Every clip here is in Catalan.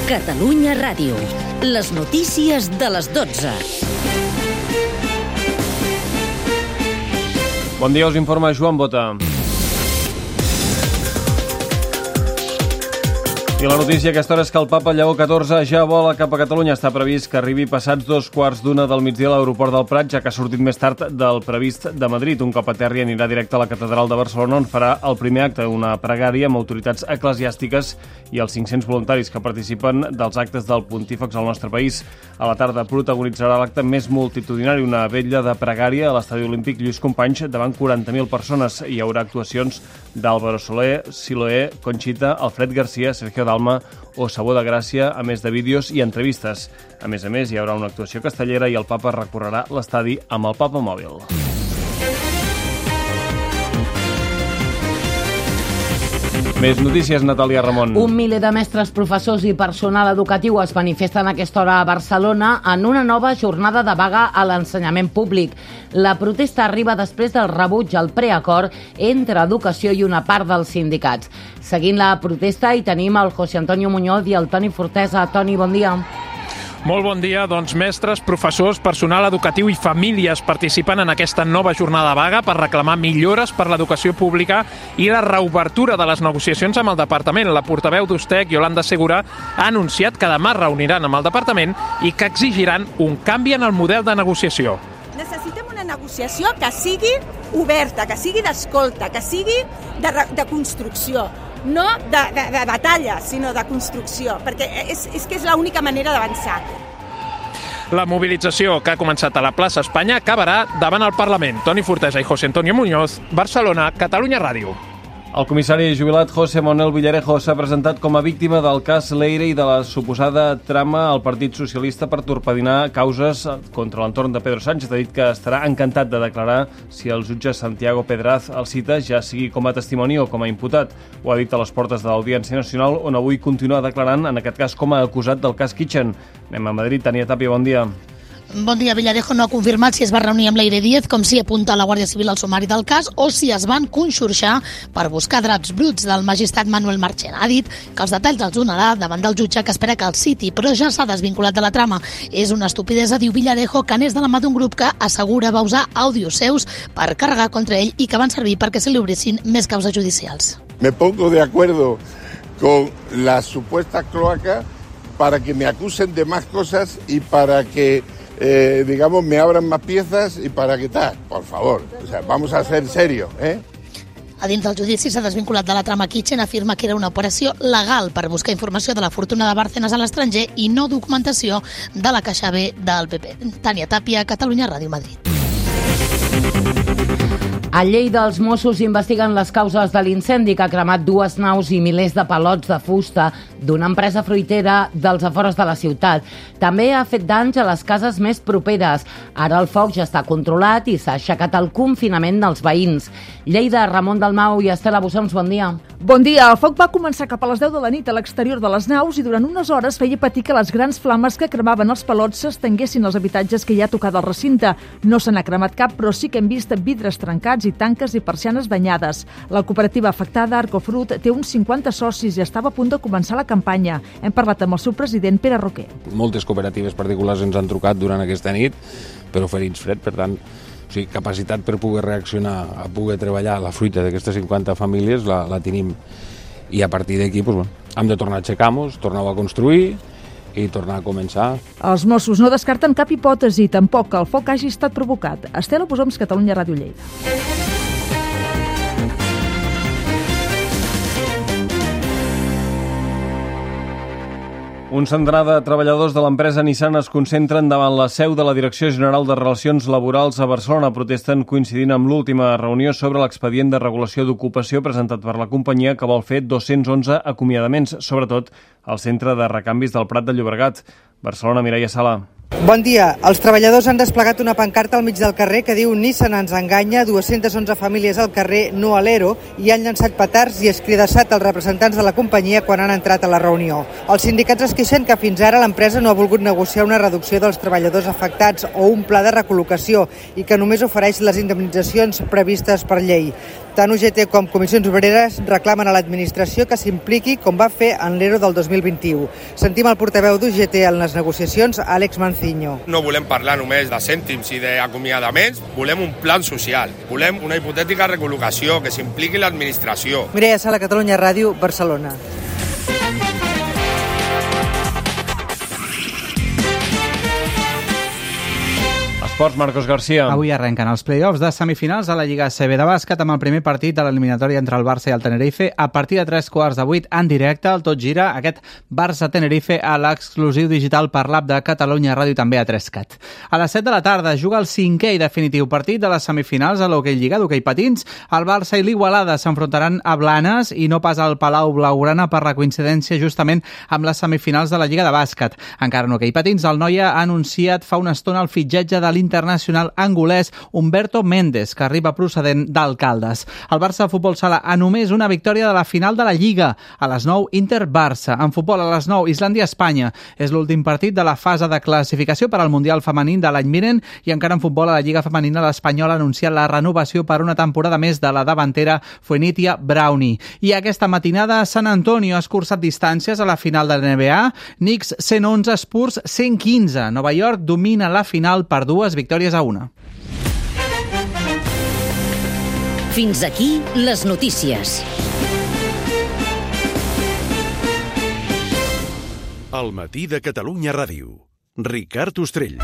Catalunya Ràdio. Les notícies de les 12. Bon dia, us informa Joan Bota. I la notícia a aquesta hora és que el papa Lleó XIV ja vola cap a Catalunya. Està previst que arribi passats 2:15 del migdia a l'aeroport del Prat, ja que ha sortit més tard del previst de Madrid. Un cop a terra anirà directe a la catedral de Barcelona, on farà el primer acte, una pregària amb autoritats eclesiàstiques i els 500 voluntaris que participen dels actes del pontífex al nostre país. A la tarda protagonitzarà l'acte més multitudinari, una vetlla de pregària a l'Estadi Olímpic Lluís Companys davant 40.000 persones. Hi haurà actuacions d'Álvaro Soler, Siloé, Conxita, Alfred Garcia, Sergio Dalma o Sabó de Gràcia, a més de vídeos i entrevistes. A més, hi haurà una actuació castellera i el papa recorrerà l'estadi amb el Papa Mòbil. Més notícies, Natàlia Ramon. Un miler de mestres, professors i personal educatiu es manifesten a aquesta hora a Barcelona en una nova jornada de vaga a l'ensenyament públic. La protesta arriba després del rebuig al preacord entre educació i una part dels sindicats. Seguint la protesta hi tenim el José Antonio Muñoz i el Toni Fortesa. Toni, bon dia. Molt bon dia. Doncs mestres, professors, personal educatiu i famílies participen en aquesta nova jornada vaga per reclamar millores per l'educació pública i la reobertura de les negociacions amb el departament. La portaveu d'Ustec, Yolanda Segura, ha anunciat que demà reuniran amb el departament i que exigiran un canvi en el model de negociació. Necessitem una negociació que sigui oberta, que sigui d'escolta, que sigui de construcció. No de batalla, sinó de construcció, perquè és que és l'única manera d'avançar. La mobilització que ha començat a la plaça Espanya acabarà davant el Parlament. Toni Fortesa i José Antonio Muñoz, Barcelona, Catalunya Ràdio. El comissari jubilat José Manuel Villarejo s'ha presentat com a víctima del cas Leire i de la suposada trama al Partit Socialista per torpedinar causes contra l'entorn de Pedro Sánchez. Ha dit que estarà encantat de declarar si el jutge Santiago Pedraz el cita, ja sigui com a testimoni o com a imputat. Ho ha dit a les portes de l'Audiència Nacional, on avui continua declarant, en aquest cas com a acusat del cas Kitchen. Anem a Madrid. Tania Tàpia, bon dia. Bon dia. Villarejo no ha confirmat si es va reunir amb Leire Díez, com si apunta la Guàrdia Civil al sumari del cas, o si es van conxorxar per buscar draps bruts del magistrat Manuel Marchena. Ha dit que els detalls els donarà davant del jutge, que espera que el citi, però ja s'ha desvinculat de la trama. És una estupidesa, diu Villarejo, que n'és de la mà d'un grup que assegura va usar àudios seus per carregar contra ell i que van servir perquè se li obrissin més causes judicials. Me pongo de acuerdo con la supuesta cloaca para que me acusen de más cosas y para que digamos, me abran más piezas y para qué tal, por favor. O sea, vamos a ser serios, ¿eh? A dins del judici s'ha desvinculat de la trama Kitchen, afirma que era una operació legal per buscar informació de la fortuna de Bárcenas a l'estranger i no documentació de la Caixa B del PP. Tània Tàpia, Catalunya Ràdio, Madrid. A Lleida, els Mossos investiguen les causes de l'incendi que ha cremat 2 naus i milers de palots de fusta d'una empresa fruitera dels afores de la ciutat. També ha fet danys a les cases més properes. Ara el foc ja està controlat i s'ha aixecat el confinament dels veïns. Lleida, Ramon Dalmau i Estela Bussons, bon dia. Bon dia. El foc va començar cap a les 10 de la nit a l'exterior de les naus i durant unes hores feia patir que les grans flames que cremaven els palots s'estenguessin als habitatges que hi ha tocat al recinte. No se n'ha cremat cap, però sí que hem vist vidres trencats i tanques i persianes danyades. La cooperativa afectada, Arcofrut, té uns 50 socis i estava a punt de començar la campanya. Hem parlat amb el seu president, Pere Roquer. Moltes cooperatives particulars ens han trucat durant aquesta nit per oferir-nos fred, per tant, capacitat per poder reaccionar, a poder treballar la fruita d'aquestes 50 famílies la tenim. I a partir d'aquí hem de tornar a aixecar-nos, tornar a construir i tornar a començar. Els Mossos no descarten cap hipòtesi, tampoc que el foc hagi estat provocat. Estela Bussons, Catalunya Ràdio, Lleida. Un centenar de treballadors de l'empresa Nissan es concentren davant la seu de la Direcció General de Relacions Laborals a Barcelona. Protesten coincidint amb l'última reunió sobre l'expedient de regulació d'ocupació presentat per la companyia, que vol fer 211 acomiadaments, sobretot al centre de recanvis del Prat de Llobregat. Barcelona, Mireia Sala. Bon dia. Els treballadors han desplegat una pancarta al mig del carrer que diu Nissan ens enganya, 211 famílies al carrer, no a l'ERO, i han llançat petards i escridassat els representants de la companyia quan han entrat a la reunió. Els sindicats es queixen que fins ara l'empresa no ha volgut negociar una reducció dels treballadors afectats o un pla de recol·locació i que només ofereix les indemnitzacions previstes per llei. Tant UGT com Comissions Obreres reclamen a l'administració que s'impliqui com va fer en l'ERO del 2021. Sentim el portaveu d'UGT en les negociacions, Àlex Manciño. No volem parlar només de cèntims i d'acomiadaments, volem un plan social, volem una hipotètica recol·locació, que s'impliqui l'administració. Mireia Sala, Catalunya Ràdio, Barcelona. Esports, Marcos García. Avui arrenquen els play-offs de semifinals a la Lliga ACB de bàsquet amb el primer partit de l'eliminatòria entre el Barça i el Tenerife a partir de 3:15 en directe al Tot Gira, aquest Barça-Tenerife a l'exclusiu digital per l'app de Catalunya Ràdio i també a 3Cat. A les 7 de la tarda juga el cinquè i definitiu partit de les semifinals a l'hoquei Lliga d'hoquei patins. El Barça i l'Igualada s'enfrontaran a Blanes i no pas al Palau Blaugrana per la coincidència justament amb les semifinals de la Lliga de bàsquet. Encara en hoquei patins, el Noia ha anunciat fa una estona el fitxatge de l'internacional angolès Humberto Méndez, que arriba procedent d'Alcaldes. El Barça de futbol sala a només una victòria de la final de la Lliga. A les 9, Inter-Barça. En futbol a les 9, Islàndia-Espanya. És l'últim partit de la fase de classificació per al Mundial femení de l'any vinent i encara en futbol a la Lliga femenina l'Espanyol ha anunciat la renovació per una temporada més de la davantera Fuenitia Brownie. I aquesta matinada Sant Antonio ha escurçat distàncies a la final de l'NBA. Knicks 111, Spurs 115. Nova York domina la final per 2 victòries a 1. Fins aquí les notícies. El matí de Catalunya Ràdio. Ricard Ostrell.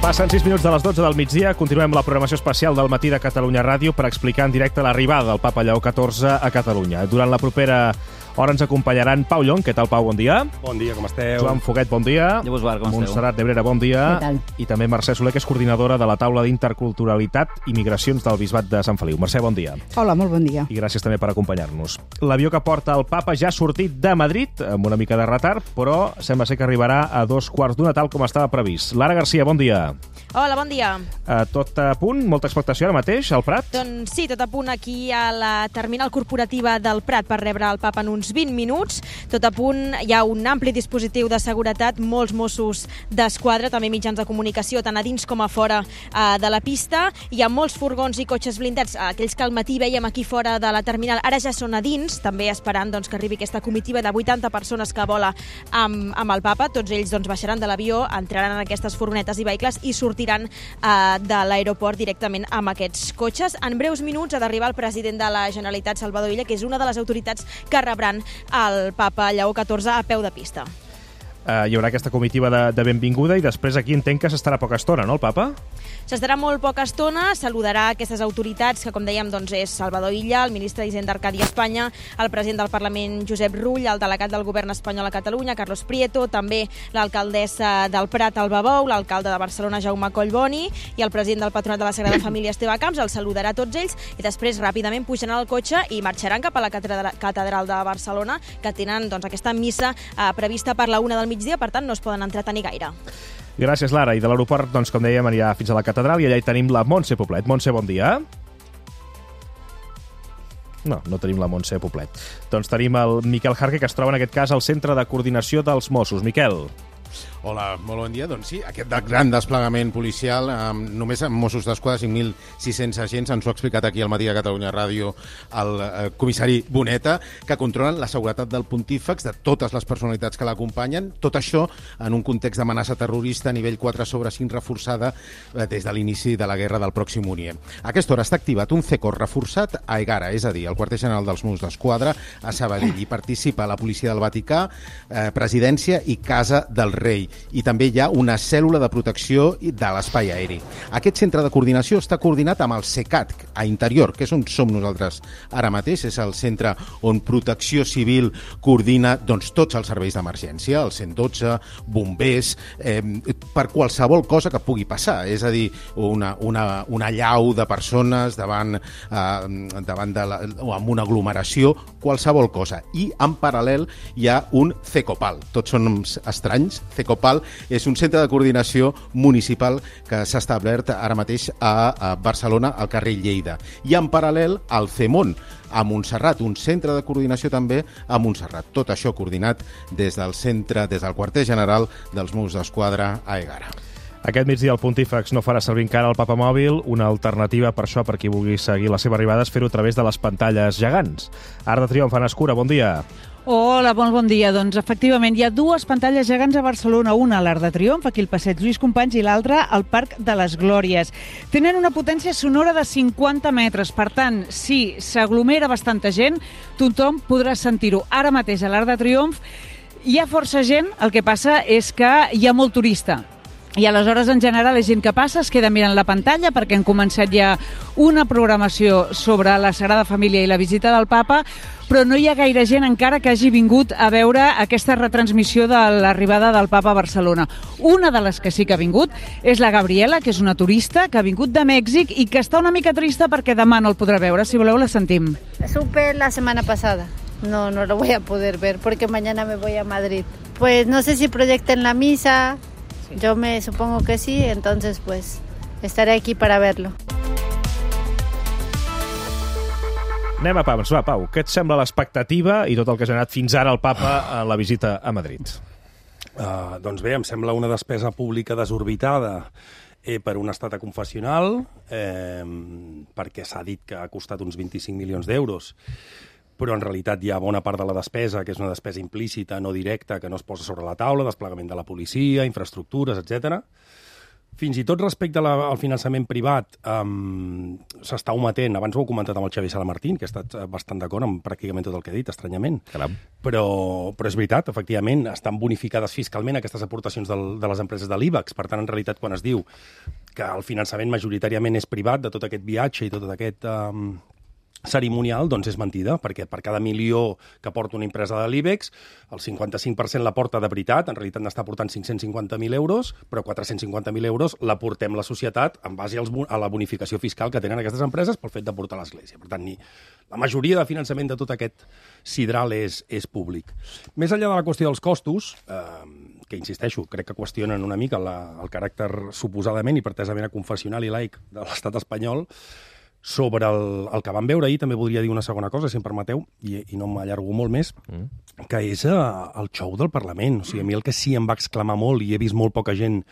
Passen 6 minuts de les 12 del migdia. Continuem la programació especial del matí de Catalunya Ràdio per explicar en directe l'arribada del Papa Lleó XIV a Catalunya. Durant la propera hora ens acompanyaran Pau Llong. Què tal, Pau? Bon dia. Bon dia, com esteu? Joan Foguet, bon dia. Llavors, com esteu? Montserrat Nebrera, bon dia. Què tal? I també Mercè Soler, que és coordinadora de la taula d'interculturalitat i migracions del Bisbat de Sant Feliu. Mercè, bon dia. Hola, molt bon dia. I gràcies també per acompanyar-nos. L'avió que porta el Papa ja ha sortit de Madrid, amb una mica de retard, però sembla ser que arribarà a 2:15, tal com estava previst. Lara Garcia, bon dia. Hola, bon dia. Tot a punt? Molta expectació ara mateix, al Prat? Doncs sí, tot a punt aquí a la terminal corporativa del Prat per rebre el Papa en uns 20 minuts. Tot a punt, hi ha un ampli dispositiu de seguretat, molts Mossos d'Esquadra, també mitjans de comunicació, tant a dins com a fora de la pista. Hi ha molts furgons i cotxes blindats, aquells que al matí veiem aquí fora de la terminal, ara ja són a dins, també esperant doncs, que arribi aquesta comitiva de 80 persones que vola amb el Papa. Tots ells doncs, baixaran de l'avió, entraran en aquestes furgonetes i vehicles i sortiran de l'aeroport directament amb aquests cotxes. En breus minuts ha d'arribar el president de la Generalitat, Salvador Illa, que és una de les autoritats que rebran el Papa Lleó XIV a peu de pista. Hi haurà aquesta comitiva de benvinguda i després aquí entenc que s'estarà poca estona, no, el Papa? S'estarà molt poca estona, saludarà aquestes autoritats, que com dèiem doncs, és Salvador Illa, el ministre d'Hisenda Arcadi Espanya, el president del Parlament Josep Rull, el delegat del govern espanyol a Catalunya, Carlos Prieto, també l'alcaldessa del Prat, Alba Bou, l'alcalde de Barcelona, Jaume Collboni, i el president del Patronat de la Sagrada Família, Esteve Camps. Els saludarà tots ells i després ràpidament pujaran al cotxe i marxaran cap a la catedral de Barcelona, que tenen doncs, aquesta missa prevista per la 1 del migdia, per tant no es poden entretenir gaire. Gràcies, Lara. I de l'aeroport, doncs, com dèiem, anirà fins a la catedral i allà hi tenim la Montse Poblet. Montse, bon dia. No tenim la Montse Poblet. Doncs tenim el Miquel Jarque, que es troba en aquest cas al Centre de Coordinació dels Mossos. Miquel. Hola, molt bon dia. Doncs sí, aquest gran desplegament policial, només amb Mossos d'Esquadra, 5.600 agents, ens ho ha explicat aquí al matí de Catalunya Ràdio el comissari Boneta, que controlen la seguretat del pontífex, de totes les personalitats que l'acompanyen, tot això en un context d'amenaça terrorista a nivell 4/5 reforçada des de l'inici de la guerra del Pròxim Orient. A aquesta hora està activat un CECOR reforçat a Egara, és a dir, al quarter general dels Mossos d'Esquadra a Sabadell. Hi participa la policia del Vaticà, presidència i Casa del Rei. I també hi ha una cèl·lula de protecció de l'espai aeri. Aquest centre de coordinació està coordinat amb el CECAT, a Interior, que és on som nosaltres ara mateix. És el centre on Protecció Civil coordina doncs, tots els serveis d'emergència, el 112, bombers, per qualsevol cosa que pugui passar. És a dir, una allau de persones davant o amb una aglomeració, qualsevol cosa. I en paral·lel hi ha un CECOPAL. Tots són estranys. CECOPAL és un centre de coordinació municipal que s'ha establert ara mateix a Barcelona, al carrer Lleida. I en paral·lel al CEMON, a Montserrat, un centre de coordinació també a Montserrat. Tot això coordinat des del quarter general dels Mossos d'Esquadra a Egara. Aquest migdia el Pontífex no farà servir encara el papamòbil. Una alternativa per això, per qui vulgui seguir la seva arribada, és fer-ho a través de les pantalles gegants. Arc de Triomf, Anna Escura, bon dia. Hola, bon dia. Doncs efectivament hi ha dues pantalles gegants a Barcelona, una a l'Arc de Triomf, aquí al passeig Lluís Companys, i l'altra al Parc de les Glòries. Tenen una potència sonora de 50 metres, per tant, si s'aglomera bastanta gent, tothom podrà sentir-ho. Ara mateix a l'Arc de Triomf hi ha força gent, el que passa és que hi ha molt turista. I aleshores, en general, la gent que passa es queda mirant la pantalla perquè han començat ja una programació sobre la Sagrada Família i la visita del Papa, però no hi ha gaire gent encara que hagi vingut a veure aquesta retransmissió de l'arribada del Papa a Barcelona. Una de les que sí que ha vingut és la Gabriela, que és una turista que ha vingut de Mèxic i que està una mica trista perquè demà no el podrà veure. Si voleu, la sentim. Supe la semana pasada. No lo voy a poder ver porque mañana me voy a Madrid. Pues no sé si proyecten la misa. Yo me supongo que sí, entonces pues estaré aquí para verlo. Anem a Pams. Va, Pau, què et sembla l'expectativa i tot el que ha generat fins ara el Papa a la visita a Madrid? Doncs bé, em sembla una despesa pública desorbitada per un estat confessional, perquè s'ha dit que ha costat uns 25 milions d'euros, però en realitat hi ha bona part de la despesa, que és una despesa implícita, no directa, que no es posa sobre la taula, desplegament de la policia, infraestructures, etc. Fins i tot respecte al finançament privat s'està ometent, abans ho he comentat amb el Xavier Salamartín, que ha estat bastant d'acord amb pràcticament tot el que he dit, estranyament. Caram. Però és veritat, efectivament, estan bonificades fiscalment aquestes aportacions de les empreses de l'IBEX. Per tant, en realitat, quan es diu que el finançament majoritàriament és privat de tot aquest viatge i tot aquest cerimonial, doncs és mentida, perquè per cada milió que porta una empresa de l'IBEX, el 55% la porta de veritat, en realitat n'està portant 550.000 euros, però 450.000 euros la portem la societat en base a la bonificació fiscal que tenen aquestes empreses pel fet de portar l'Església. Per tant, la majoria de finançament de tot aquest sidral és públic. Més enllà de la qüestió dels costos, que insisteixo, crec que qüestionen una mica el caràcter suposadament i pretesament confessional i laic de l'estat espanyol. Sobre el que vam veure ahir, també voldria dir una segona cosa, si em permeteu, i no m'allargo molt més, que és el xou del Parlament. O sigui, a mi el que sí em va exclamar molt, i he vist molt poca gent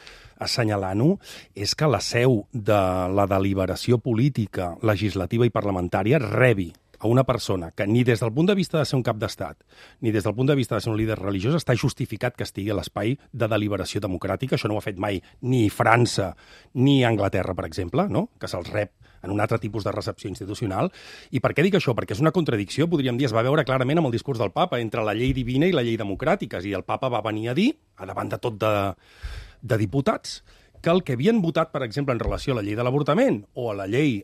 assenyalant-ho, és que la seu de la deliberació política, legislativa i parlamentària rebi a una persona que ni des del punt de vista de ser un cap d'estat, ni des del punt de vista de ser un líder religiós, està justificat que estigui a l'espai de deliberació democràtica. Això no ho ha fet mai ni França ni Anglaterra, per exemple, no? Que se'ls rep en un altre tipus de recepció institucional. I per què dic això? Perquè és una contradicció, podríem dir, es va veure clarament amb el discurs del Papa, entre la llei divina i la llei democràtica. I el Papa va venir a dir, a davant de tot de diputats, que el que havien votat, per exemple, en relació a la llei de l'avortament o a la llei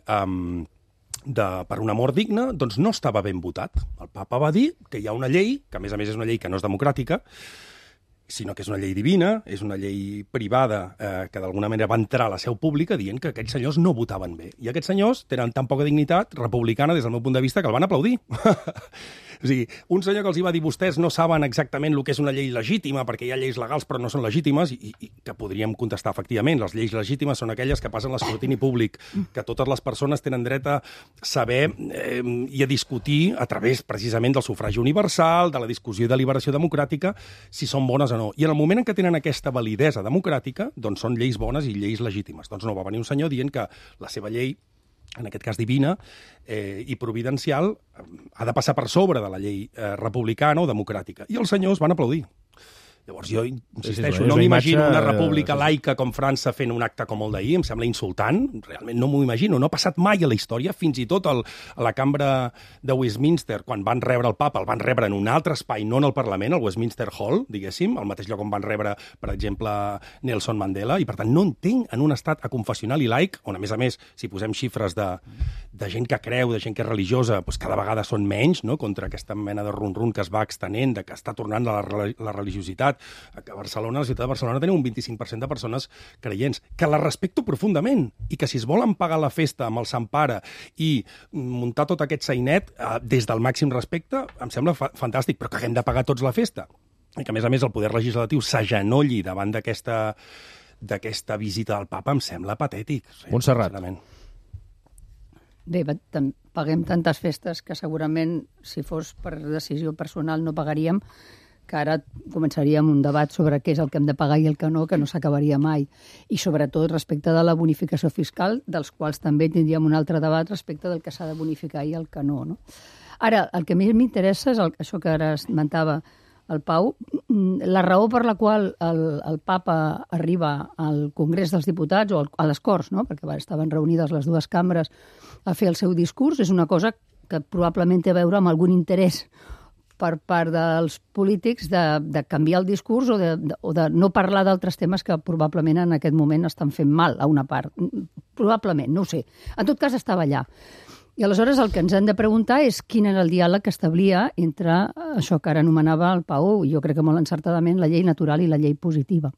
per una mort digna, doncs no estava ben votat. El Papa va dir que hi ha una llei, que a més és una llei que no és democràtica, sinó que és una llei divina, és una llei privada que d'alguna manera va entrar a la seu pública dient que aquests senyors no votaven bé. I aquests senyors tenen tan poca dignitat republicana des del meu punt de vista que el van aplaudir. O sigui, un senyor que els va dir vostès no saben exactament el que és una llei legítima perquè hi ha lleis legals però no són legítimes i que podríem contestar efectivament. Les lleis legítimes són aquelles que passen l'escrutini públic, que totes les persones tenen dret a saber i a discutir a través precisament del sufragi universal, de la discussió i deliberació democràtica, si són bones o no. I en el moment en què tenen aquesta validesa democràtica, doncs són lleis bones i lleis legítimes. Doncs no, va venir un senyor dient que la seva llei, en aquest cas divina i providencial, ha de passar per sobre de la llei republicana o democràtica. I els senyors van aplaudir. Llavors jo insisteixo, no m'imagino una república laica com França fent un acte com el d'ahir, em sembla insultant, realment no m'ho imagino, no ha passat mai a la història, fins i tot a la cambra de Westminster, quan van rebre el Papa, el van rebre en un altre espai, no en el Parlament, al Westminster Hall, diguéssim, al mateix lloc on van rebre, per exemple, Nelson Mandela, i per tant no entenc en un estat aconfessional i laic, on a més, si posem xifres de gent que creu, de gent que és religiosa, doncs cada vegada són menys, no?, contra aquesta mena de rum-rum que es va extenent, que està tornant a la religiositat, que a Barcelona, a la ciutat de Barcelona, tenim un 25% de persones creients, que la respecto profundament, i que si es volen pagar la festa amb el Sant Pare i muntar tot aquest sainet des del màxim respecte, em sembla fantàstic, però que haguem de pagar tots la festa. I que, a més, el poder legislatiu s'agenolli davant d'aquesta visita del Papa em sembla patètic. Montserrat. Bé, paguem tantes festes que segurament, si fos per decisió personal, no pagaríem, que ara començaríem un debat sobre què és el que hem de pagar i el que no s'acabaria mai. I sobretot respecte de la bonificació fiscal, dels quals també tindríem un altre debat respecte del que s'ha de bonificar i el que no. Ara, el que més m'interessa és això que ara esmentava el Pau, la raó per la qual el papa arriba al Congrés dels Diputats o a les Corts, no? Perquè estaven reunides les dues cambres a fer el seu discurs, és una cosa que probablement té a veure amb algun interès per part dels polítics de canviar el discurs o de no parlar d'altres temes que probablement en aquest moment estan fent mal a una part. Probablement, no ho sé. En tot cas, estava allà. I aleshores el que ens hem de preguntar és quin era el diàleg que establia entre això que ara anomenava el Pau, jo crec que molt encertadament, la llei natural i la llei positiva.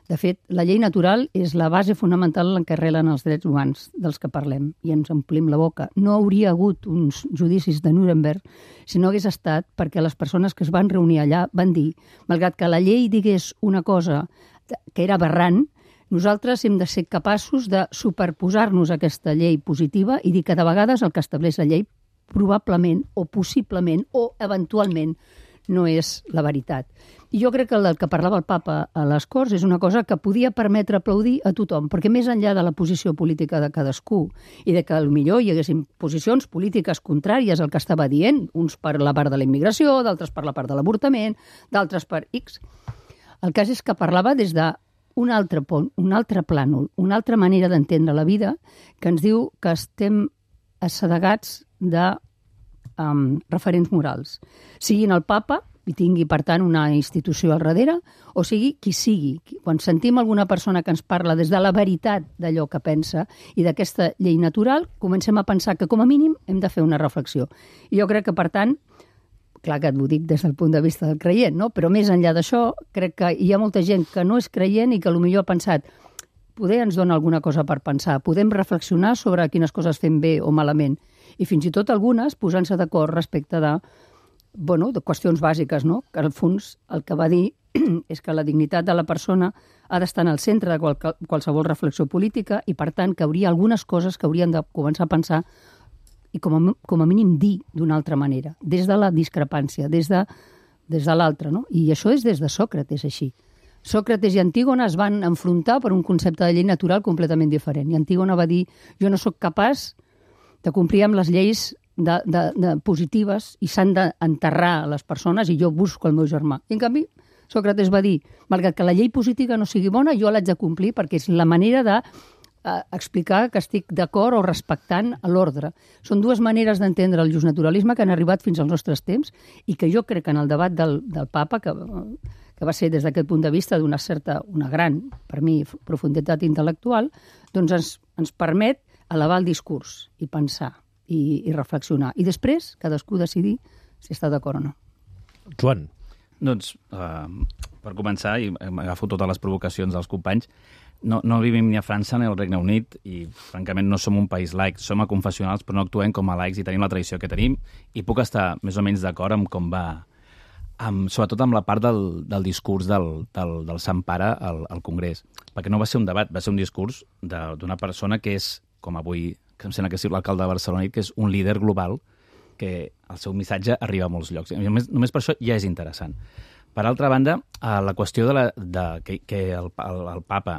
De fet, la llei natural és la base fonamental en què arrelen els drets humans dels que parlem i ens omplim la boca. No hauria hagut uns judicis de Nuremberg si no hagués estat perquè les persones que es van reunir allà van dir, malgrat que la llei digués una cosa que era aberrant, nosaltres hem de ser capaços de superposar-nos a aquesta llei positiva i dir que de vegades el que estableix la llei probablement o possiblement o eventualment no és la veritat. I jo crec que el que parlava el papa a les Corts és una cosa que podia permetre aplaudir a tothom, perquè més enllà de la posició política de cadascú i de que potser hi haguessin posicions polítiques contràries al que estava dient, uns per la part de la immigració, d'altres per la part de l'avortament, d'altres per X, el cas és que parlava des de un altre pont, un altre plànol, una altra manera d'entendre la vida que ens diu que estem assedegats de referents morals. Siguin el papa, i tingui, per tant, una institució al darrere, o sigui qui sigui. Quan sentim alguna persona que ens parla des de la veritat d'allò que pensa i d'aquesta llei natural, comencem a pensar que, com a mínim, hem de fer una reflexió. I jo crec que, per tant, clar que ho dic des del punt de vista del creient, no? Però més enllà d'això, crec que hi ha molta gent que no és creient i que potser ha pensat poder ens dona alguna cosa per pensar, podem reflexionar sobre quines coses fem bé o malament, i fins i tot algunes posant-se d'acord respecte de qüestions bàsiques, no? Que al fons el que va dir és que la dignitat de la persona ha d'estar en el centre de qualsevol reflexió política i, per tant, que hauria algunes coses que haurien de començar a pensar i com a mínim dir d'una altra manera, des de la discrepància, des de l'altre, no? I això és des de Sòcrates, així. Sòcrates i Antígona es van enfrontar per un concepte de llei natural completament diferent. I Antígona va dir, jo no sóc capaç de complir amb les lleis positives i s'han d'enterrar les persones i jo busco el meu germà. I en canvi, Sòcrates va dir, malgrat que la llei positiva no sigui bona, jo l'haig de complir perquè és la manera de explicar que estic d'acord o respectant l'ordre. Són dues maneres d'entendre el justnaturalisme que han arribat fins als nostres temps i que jo crec que en el debat del papa, que va ser des d'aquest punt de vista d'una gran, per mi, profunditat intel·lectual, doncs ens permet elevar el discurs i pensar i reflexionar. I després cadascú decidir si està d'acord o no. Joan. Doncs, per començar, i agafo totes les provocacions dels companys, no vivim ni a França ni al Regne Unit i, francament, no som un país laic. Som aconfessionals, però no actuem com a laics i tenim la tradició que tenim. I puc estar més o menys d'acord amb com va, sobretot amb la part del discurs del Sant Pare al Congrés. Perquè no va ser un debat, va ser un discurs d'una persona que és, com avui, que em sembla que és l'alcalde de Barcelona, que és un líder global, que el seu missatge arriba a molts llocs. Només per això ja és interessant. Per altra banda, la qüestió que el papa,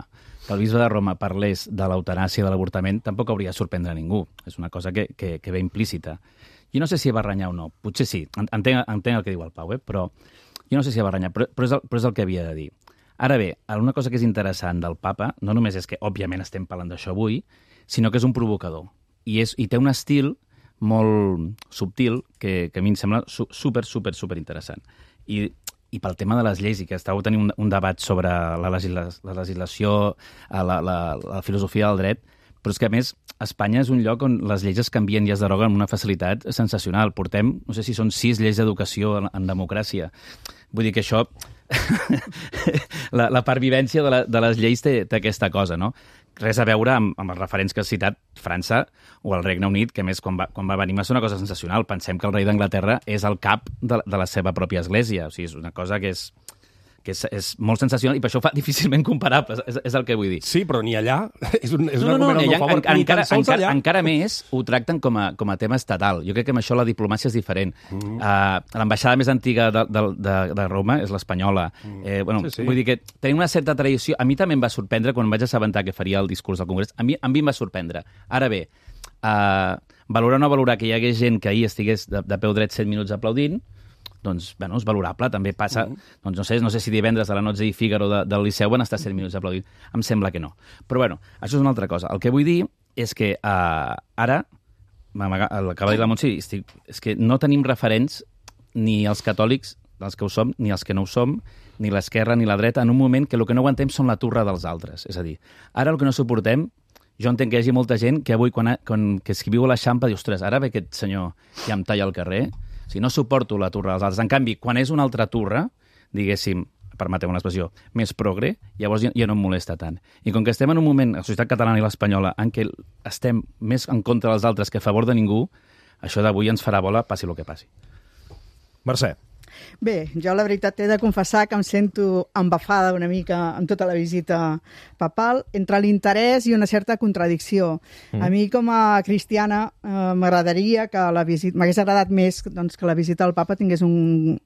que el bisbe de Roma parlés de l'eutanàsia i de l'avortament, tampoc hauria de sorprendre a ningú. És una cosa que ve implícita. Jo no sé si va renyar o no. Potser sí. Entenc el que diu el Pau, però jo no sé si va renyar, però és el que havia de dir. Ara bé, una cosa que és interessant del papa, no només és que, òbviament, estem parlant d'això avui, sinó que és un provocador. I té un estil molt subtil que a mi em sembla super interessant. I pel tema de les lleis, i que estàveu tenint un debat sobre la legislació, la filosofia del dret, però és que, a més, Espanya és un lloc on les lleis es canvien i es deroguen amb una facilitat sensacional. Portem, no sé si són 6 lleis d'educació en democràcia. Vull dir que això, la pervivència de les lleis té aquesta cosa, no? Res a veure amb els referents que has citat, França o el Regne Unit, que a més quan va venir va ser una cosa sensacional. Pensem que el rei d'Anglaterra és el cap de la seva pròpia església. O sigui, és una cosa que que és molt sensacional i per això ho fa difícilment comparable, és el que vull dir. Sí, però ni allà és un argument al meu favor. Encara més ho tracten com a tema estatal. Jo crec que amb això la diplomàcia és diferent. L'ambaixada més antiga de Roma és l'espanyola. Vull dir que tenim una certa tradició. A mi també em va sorprendre quan em vaig assabentar que faria el discurs del Congrés. A mi em va sorprendre. Ara bé, valorar o no valorar que hi hagués gent que ahir estigués de peu dret 7 minuts aplaudint, doncs, bueno, és valorable. També passa, doncs no sé si divendres a la Nozze i Fígaro del Liceu van estar 7 minuts aplaudint. Em sembla que no. Però, bueno, això és una altra cosa. El que vull dir és que ara, acaba de dir la Montse, és que no tenim referents ni els catòlics, els que ho som, ni els que no ho som, ni l'esquerra ni la dreta, en un moment que el que no aguantem són la turra dels altres. És a dir, ara el que no suportem, jo entenc que hi hagi molta gent que avui, que es viu a l'Eixample, diu, ostres, ara ve aquest senyor i em talla al carrer. Si no suporto la turra dels altres. En canvi, quan és una altra turra, diguéssim, permeteu una expressió, més progre, llavors ja no em molesta tant. I com que estem en un moment, la societat catalana i l'espanyola, en què estem més en contra dels altres que a favor de ningú, això d'avui ens farà bola, passi el que passi. Mercè. Bé, jo la veritat he de confessar que em sento embafada una mica amb tota la visita papal, entre l'interès i una certa contradicció. A mi, com a cristiana, m'agradaria que la visita, m'hagués agradat més doncs, que la visita al papa tingués un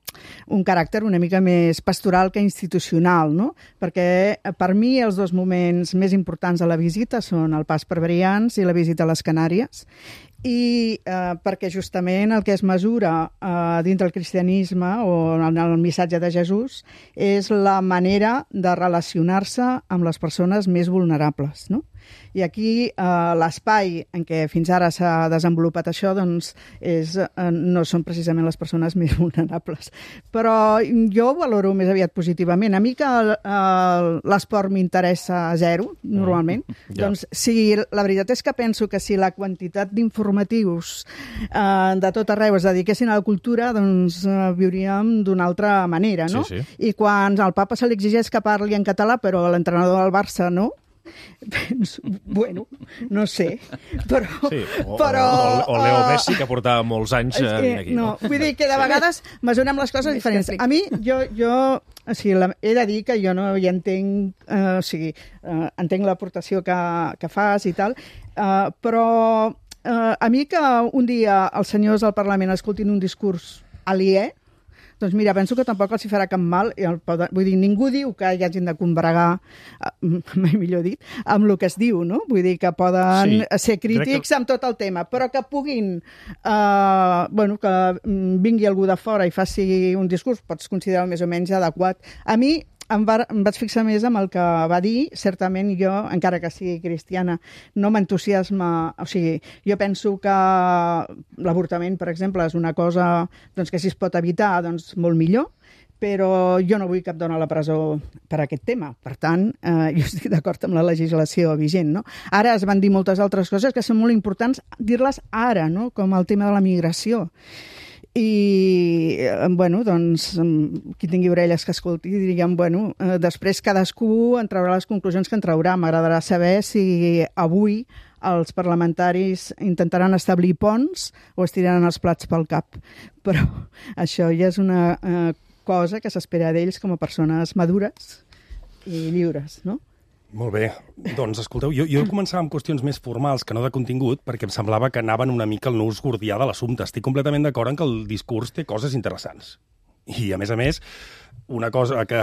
caràcter una mica més pastoral que institucional, no? Perquè per mi els dos moments més importants de la visita són el pas per Brians i la visita a les Canàries, i perquè justament el que es mesura dins del cristianisme o en el missatge de Jesús és la manera de relacionar-se amb les persones més vulnerables, no? I aquí l'espai en què fins ara s'ha desenvolupat això doncs no són precisament les persones més vulnerables. Però jo ho valoro més aviat positivament. A mi que l'esport m'interessa zero, normalment. Doncs sí, la veritat és que penso que si la quantitat d'informatius de tot arreu es dediquessin a la cultura, doncs viuríem d'una altra manera, no? Sí, sí. I quan al papa se li exigeix que parli en català, però l'entrenador del Barça no, bueno, no sé, però... Sí, o Leo Messi, que portava molts anys aquí. No, vull dir que de vegades mesurem les coses diferents. A mi, o sigui, he de dir que jo no hi entenc, o sigui, entenc l'aportació que fas i tal, però a mi que un dia els senyors del Parlament escoltin un discurs aliè, doncs mira, penso que tampoc els hi farà cap mal. Vull dir, ningú diu que hi hagin de combregar, mai millor dit, amb el que es diu, no? Vull dir que poden ser crítics amb tot el tema, però que puguin, que vingui algú de fora i faci un discurs, pots considerar més o menys adequat. A mi em vaig fixar més amb el que va dir. Certament jo, encara que sigui cristiana, no m'entusiasma. O sigui, jo penso que l'avortament, per exemple, és una cosa doncs, que si es pot evitar, doncs molt millor, però jo no vull cap dona a la presó per aquest tema. Per tant, jo estic d'acord amb la legislació vigent, no? Ara es van dir moltes altres coses que són molt importants dir-les ara, no? Com el tema de la migració. I, bueno, doncs, qui tingui orelles que escolti, diríem, bueno, després cadascú en traurà les conclusions que en traurà. M'agradarà saber si avui els parlamentaris intentaran establir ponts o es tiraran els plats pel cap. Però això ja és una cosa que s'espera d'ells com a persones madures i lliures, no? Molt bé. Doncs, escolteu, jo començava amb qüestions més formals que no de contingut, perquè em semblava que anaven una mica al nus gordià de l'assumpte. Estic completament d'acord en que el discurs té coses interessants. I, a més, una cosa que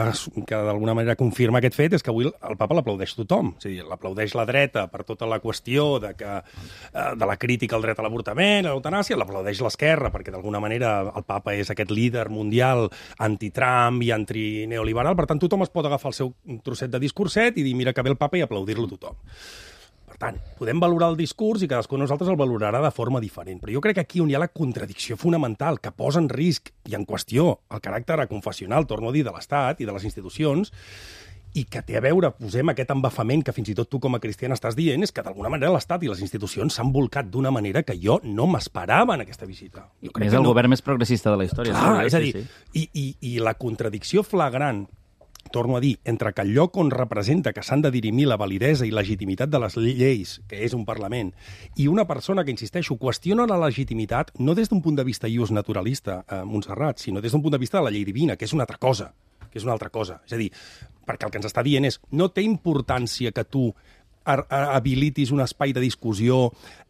d'alguna manera confirma aquest fet és que avui el papa l'aplaudeix tothom. És a dir, l'aplaudeix la dreta per tota la qüestió de la crítica al dret a l'avortament, a l'eutanàsia, l'aplaudeix l'esquerra perquè d'alguna manera el papa és aquest líder mundial anti-Trump i anti-neoliberal. Per tant, tothom es pot agafar el seu trosset de discurset i dir mira que ve el papa i aplaudir-lo tothom. Per tant, podem valorar el discurs i cadascú de nosaltres el valorarà de forma diferent. Però jo crec que aquí on hi ha la contradicció fonamental que posa en risc i en qüestió el caràcter confessional, torno a dir, de l'Estat i de les institucions, i que té a veure, posem aquest embafament que fins i tot tu com a cristiana estàs dient, és que d'alguna manera l'Estat i les institucions s'han volcat d'una manera que jo no m'esperava en aquesta visita. És el govern més progressista de la història. Clar, és a dir, i la contradicció flagrant, torno a dir, entre que el lloc on representa que s'han de dirimir la validesa i legitimitat de les lleis, que és un Parlament, i una persona que, insisteixo, qüestiona la legitimitat no des d'un punt de vista ius naturalista, Montserrat, sinó des d'un punt de vista de la llei divina, que és una altra cosa. que és una altra cosa. És a dir, perquè el que ens està dient és no té importància que tu habilitis un espai de discussió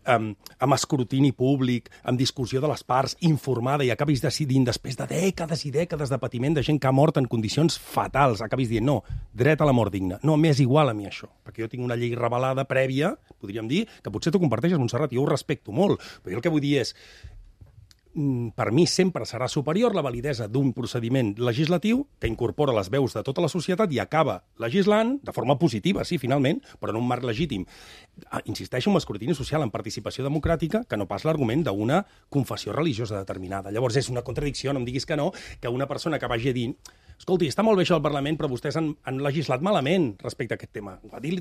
amb escrutini públic, amb discussió de les parts, informada, i acabis decidint, després de dècades i dècades de patiment de gent que ha mort en condicions fatals, acabis dient, no, dret a la mort digna. No, m'és igual a mi això, perquè jo tinc una llei revelada prèvia, podríem dir, que potser tu comparteixes, Montserrat, jo ho respecto molt, però jo el que vull dir és, per mi sempre serà superior la validesa d'un procediment legislatiu que incorpora les veus de tota la societat i acaba legislant de forma positiva, sí, finalment, però en un marc legítim. Insisteixo en l'escrutini social, en participació democràtica, que no pas l'argument d'una confessió religiosa determinada. Llavors és una contradicció, no em diguis que no, que una persona que vagi a dir escolti, està molt bé això del Parlament, però vostès han legislat malament respecte a aquest tema. Ho va dir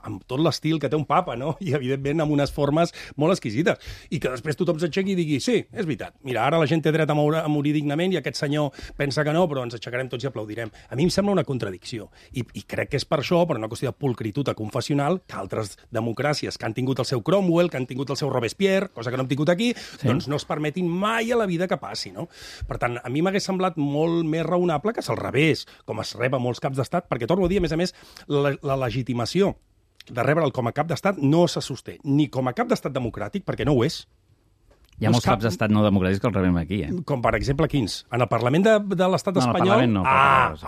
amb tot l'estil que té un papa, no? I, evidentment, amb unes formes molt exquisites. I que després tothom s'aixequi i digui, sí, és veritat, mira, ara la gent té dret a morir dignament i aquest senyor pensa que no, però ens aixecarem tots i aplaudirem. A mi em sembla una contradicció. I crec que és per això, per una qüestió de pulcritud confessional, que altres democràcies que han tingut el seu Cromwell, que han tingut el seu Robespierre, cosa que no hem tingut aquí, doncs no es permetin mai a la vida que passi, no? Per tant, a mi m'hagués semblat molt més raonable que se'l revés, com es rep a molts caps d'estat, perquè torno a dir, a més, la legitimació de rebre'l com a cap d'estat no se sosté ni com a cap d'estat democràtic, perquè no ho és. Hi ha molts caps d'estat no democràtics que els rebem aquí, Com, per exemple, quins? En el Parlament de l'estat espanyol? No, en el Parlament no. El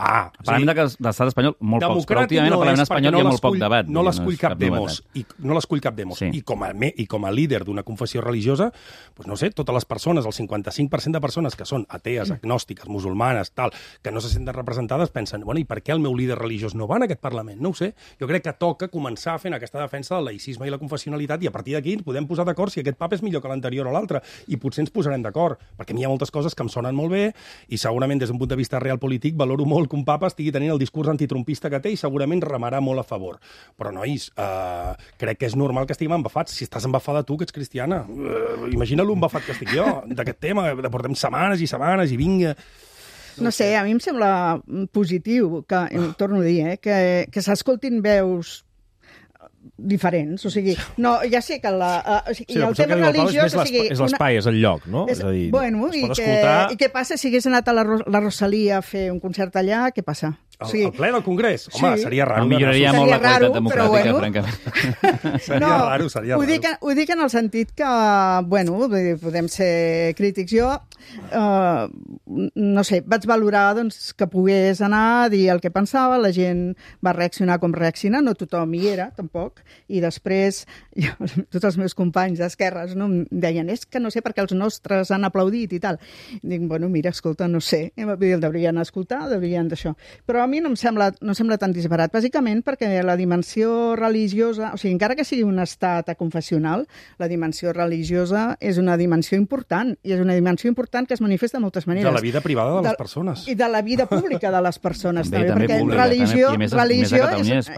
Parlament de l'estat espanyol, molt pocs, però últimament al Parlament espanyol hi ha molt poc debat. No l'escull cap demos. No l'escull cap demos. I com a líder d'una confessió religiosa, doncs no sé, totes les persones, el 55% de persones que són atees, agnòstiques, musulmanes, tal, que no se senten representades, pensen, bueno, i per què el meu líder religiós no va en aquest Parlament? No ho sé. Jo crec que toca començar fent aquesta defensa del laïcisme i la confessionalitat i a partir d'aquí podem posar d'acord si aquest papa és millor que l'anterior o l'altre. I potser ens posarem d'acord, perquè a mi hi ha moltes coses que em sonen molt bé i segurament des d'un punt de vista real polític valoro molt que un papa estigui tenint el discurs antitrumpista que té i segurament remarà molt a favor. Però, nois, crec que és normal que estiguem embafats. Si estàs embafada tu, que ets cristiana, imagina l'embafat que estic jo d'aquest tema, que portem setmanes i setmanes i vinga... No sé, a mi em sembla positiu, que torno a dir, que s'escoltin veus diferents, o sigui, no, ja sé que el tema religiós... És l'espai, és el lloc, no? És a dir, bueno, i què passa si hagués anat a la Rosalia a fer un concert allà? Què passa? El ple del Congrés? Home, seria raro. Milloraria molt la qualitat democràtica, francament. Seria raro. Ho dic en el sentit que, bueno, podem ser crítics. Jo, no sé, vaig valorar que pogués anar a dir el que pensava, la gent va reaccionar com reacciona, no tothom hi era, tampoc, i després tots els meus companys d'esquerres em deien, és que no sé per què els nostres han aplaudit i tal. Dic, bueno, mira, escolta, no sé, el deurien escoltar, deurien d'això. Però a mi no em sembla tan disbarat, bàsicament perquè la dimensió religiosa, o sigui, encara que sigui un estat confessional, la dimensió religiosa és una dimensió important, i és una dimensió important que es manifesta de moltes maneres. De la vida privada de les persones. I de la vida pública de les persones, també perquè religió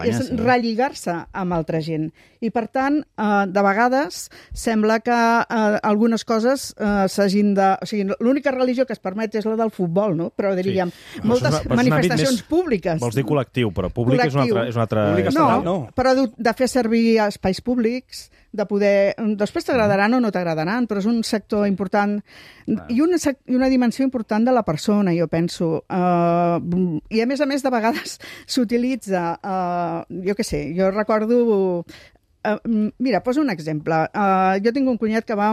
és relligar-se amb altra gent. I, per tant, de vegades sembla que algunes coses s'hagin de... O sigui, l'única religió que es permet és la del futbol, no? Però diríem, moltes manifestacions públiques. Vols dir col·lectiu, però públic és un altre... No, però de fer servir espais públics, de poder... Després t'agradaran o no t'agradaran, però és un sector important i una dimensió important de la persona, jo penso. I, a més, de vegades s'utilitza... Jo què sé, jo recordo... Mira, poso un exemple. Jo tinc un cunyat que va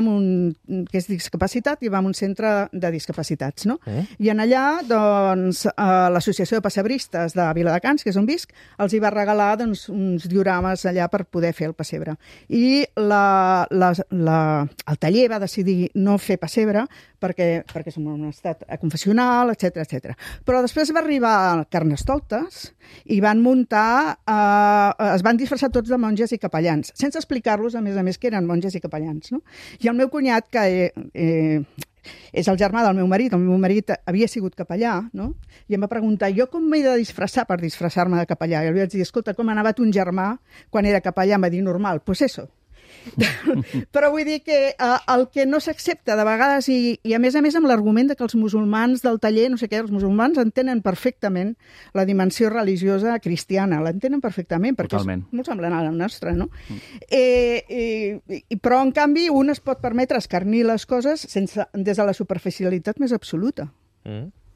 que és discapacitat i va a un centre de discapacitats, no? I en allà, doncs, l'Associació de Pessebristes de Viladecans, que és on visc, els hi va regalar uns diorames allà per poder fer el pessebre. I el taller va decidir no fer pessebre perquè som en un estat confessional, etc. Però després va arribar a Carnestoltes i van muntar... es van disfressar tots de monges i capellans, sense explicar-los, a més, que eren monges i capellans, no? I el meu cunyat, que és el germà del meu marit havia sigut capellà, no? I em va preguntar, jo com m'he de disfressar per disfressar-me de capellà? I li vaig dir, escolta, com anava ton germà quan era capellà? Em va dir, normal, pues eso. Però vull dir que el que no s'accepta de vegades, i a més amb l'argument que els musulmans del taller, no sé què, els musulmans entenen perfectament la dimensió religiosa cristiana, l'entenen perfectament, perquè és molt semblant a la nostra, no? Però, en canvi, un es pot permetre escarnir les coses des de la superficialitat més absoluta.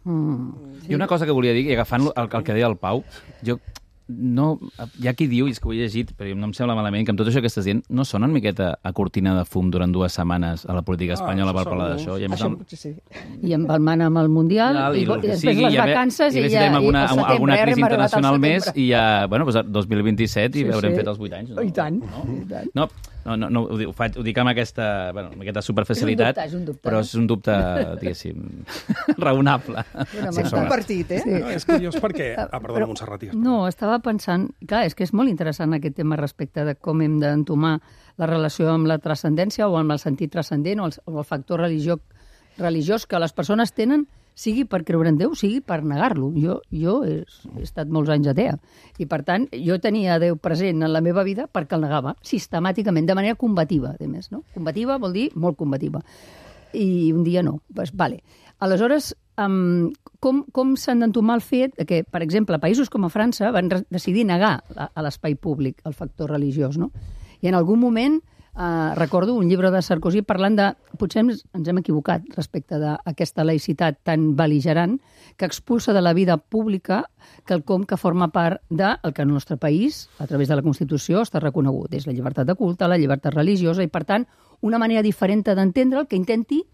I una cosa que volia dir, i agafant el que deia el Pau, jo no, hi ha qui diu, i és que ho he llegit, però no em sembla malament, que amb tot això que estàs dient no sona una miqueta a cortina de fum durant 2 setmanes a la política espanyola per parlar d'això. I amb el man amb el Mundial, i després les vacances, i ja alguna crisi internacional més, i ja, bueno, 2027 i haurem fet els 8 anys. I tant. No, ho dic amb aquesta superficialitat, però és un dubte, diguéssim, raonable. És compartit, És curiós perquè... Perdona, Montserrat. No, estava pensant... Clar, és que és molt interessant aquest tema respecte de com hem d'entomar la relació amb la transcendència o amb el sentit transcendent o el factor religiós que les persones tenen, sigui per creure en Déu, sigui per negar-lo. Jo he estat molts anys atea. I, per tant, jo tenia Déu present en la meva vida perquè el negava sistemàticament, de manera combativa, a més, no? Combativa vol dir molt combativa. I un dia no. Pues, vale. Aleshores, com s'han d'entomar el fet que, per exemple, països com a França van decidir negar a l'espai públic el factor religiós, no? I en algun moment recordo un llibre de Sarkozy parlant de... Potser ens hem equivocat respecte d'aquesta laïcitat tan bel·ligerant que expulsa de la vida pública quelcom que forma part del que en el nostre país, a través de la Constitució, està reconegut. És la llibertat de culte, la llibertat religiosa i, per tant, una manera diferent d'entendre'l que intenti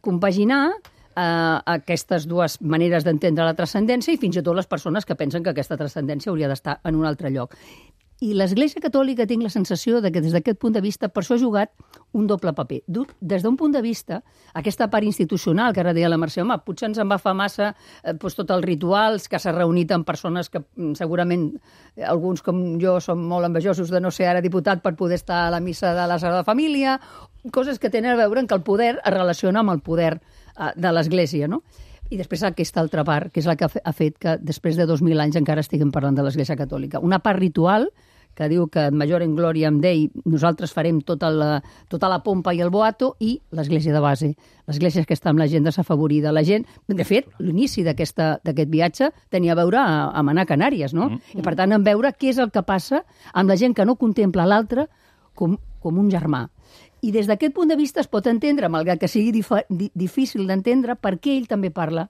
compaginar aquestes dues maneres d'entendre la transcendència i fins i tot les persones que pensen que aquesta transcendència hauria d'estar en un altre lloc. I l'Església Catòlica tinc la sensació de que des d'aquest punt de vista per això ha jugat un doble paper. Des d'un punt de vista, aquesta part institucional, que ara deia la Mercè, home, potser ens en va fer massa tots els rituals, que s'ha reunit amb persones que segurament alguns com jo som molt envejosos de no ser ara diputat per poder estar a la missa de la Sagrada Família, coses que tenen a veure amb que el poder es relaciona amb el poder de l'Església, no? I després aquesta altra part, que és la que ha fet que després de 2.000 anys encara estiguem parlant de l'Església Catòlica. Una part ritual que diu que major en glòria en Dei nosaltres farem tota la pompa i el boato, i l'Església de base. L'Església que està amb la gent desafavorida. La gent, de fet, l'inici d'aquest viatge tenia a veure amb anar a Canàries, no? I per tant, en veure què és el que passa amb la gent que no contempla l'altre com un germà. I des d'aquest punt de vista es pot entendre, malgrat que sigui difícil d'entendre, per què ell també parla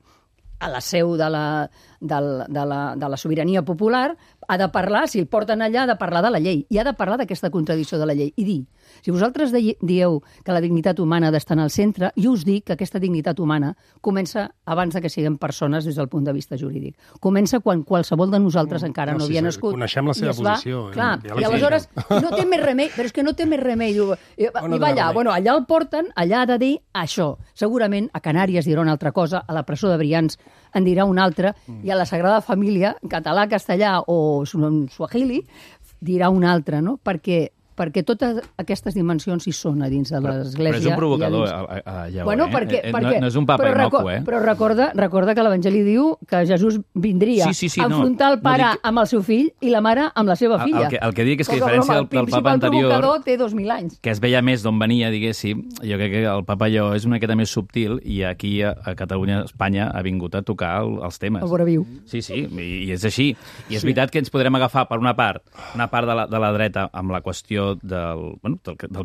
a la seu de la sobirania popular, ha de parlar, si el porten allà, ha de parlar de la llei, i ha de parlar d'aquesta contradicció de la llei. I dir, si vosaltres dieu que la dignitat humana ha d'estar en el centre, jo us dic que aquesta dignitat humana comença abans de que siguem persones des del punt de vista jurídic. Comença quan qualsevol de nosaltres encara no havia nascut. Coneixem la seva posició. Clar, i aleshores no té més remei, però és que no té més remei. I va allà, allà el porten, allà ha de dir això. Segurament a Canàries dirà una altra cosa, a la presó de Brians en dirà una altra, i a la Sagrada Família, en català, castellà o en suahili, dirà una altra, no? Perquè totes aquestes dimensions hi són a dins de l'Església. Però és un provocador, allà, bueno, no és un papa innocu, Però recorda que l'Evangeli diu que Jesús vindria a enfrontar el pare amb el seu fill i la mare amb la seva filla. El que dic és que a diferència del papa anterior, el provocador té 2.000 anys. Que es veia més d'on venia, diguéssim, jo crec que el papa Lleó és una miqueta més subtil, i aquí a Catalunya, a Espanya, ha vingut a tocar els temes. El vora viu. Sí, i és així. I és veritat que ens podrem agafar per una part de la dreta amb la qüestió del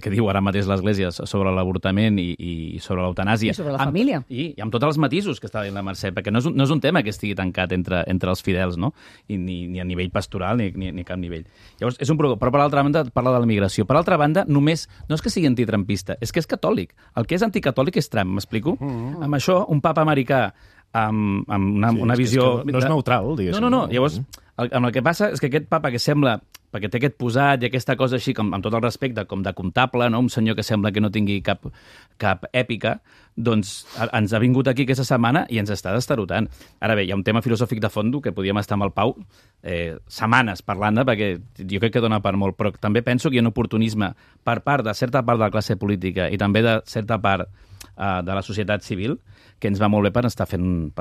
que diu ara mateix l'Església sobre l'avortament i sobre l'eutanàsia. I sobre la família. I amb tots els matisos que està dient la Mercè, perquè no és un tema que estigui tancat entre els fidels, no? I ni a nivell pastoral ni a cap nivell. Llavors, és un problema. Però per l'altra banda parla de la migració. Per l'altra banda, no és que sigui antitrampista, és que és catòlic. El que és anticatòlic és Trump, m'explico? Amb això, un papa americà amb una visió... No és neutral, diguéssim. No. Llavors, el que passa és que aquest papa que sembla, perquè té aquest posat i aquesta cosa així, com amb tot el respecte, com de comptable, no? Un senyor que sembla que no tingui cap èpica, doncs ens ha vingut aquí aquesta setmana i ens està destarotant. Ara bé, hi ha un tema filosòfic de fons que podíem estar amb el Pau setmanes parlant-ne, perquè jo crec que dona per molt, però també penso que hi ha un oportunisme per part de certa part de la classe política i també de certa part de la societat civil que ens va molt bé per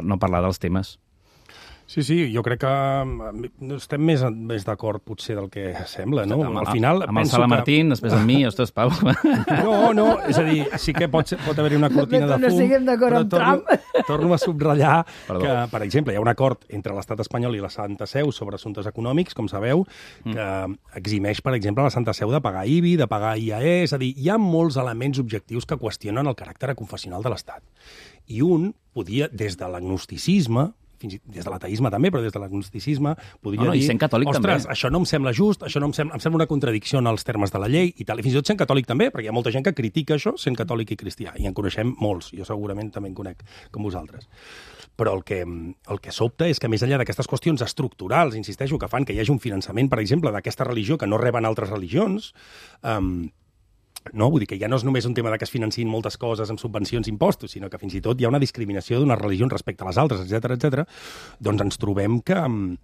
no parlar dels temes. Sí, jo crec que estem més d'acord potser del que sembla, no? Al final amb el Sala Martín, després amb mi, ostres, Pau. No, és a dir, sí que pot haver-hi una cortina de fum. No estiguem d'acord amb Trump. Torno a subratllar que, per exemple, hi ha un acord entre l'Estat espanyol i la Santa Seu sobre assumptes econòmics, com sabeu, que eximeix, per exemple, la Santa Seu de pagar IBI, de pagar IAE, és a dir, hi ha molts elements objectius que qüestionen el caràcter confessional de l'Estat. I un podia, des de l'agnosticisme, fins i tot des de l'ateisme també, però des de l'agnosticisme podria dir, i sent catòlic ostres, també. això no em sembla just, això no em sembla una contradicció en els termes de la llei i tal, i fins i tot sent catòlic també, perquè hi ha molta gent que critica això sent catòlic i cristià, i en coneixem molts, jo segurament també en conec com vosaltres. Però el que sobta és que més enllà d'aquestes qüestions estructurals, insisteixo, que fan que hi hagi un finançament, per exemple, d'aquesta religió que no reben altres religions, no? Vull dir que ja no és només un tema que es financin moltes coses amb subvencions i impostos, sinó que fins i tot hi ha una discriminació d'unes religions respecte a les altres, etc. Doncs ens trobem que amb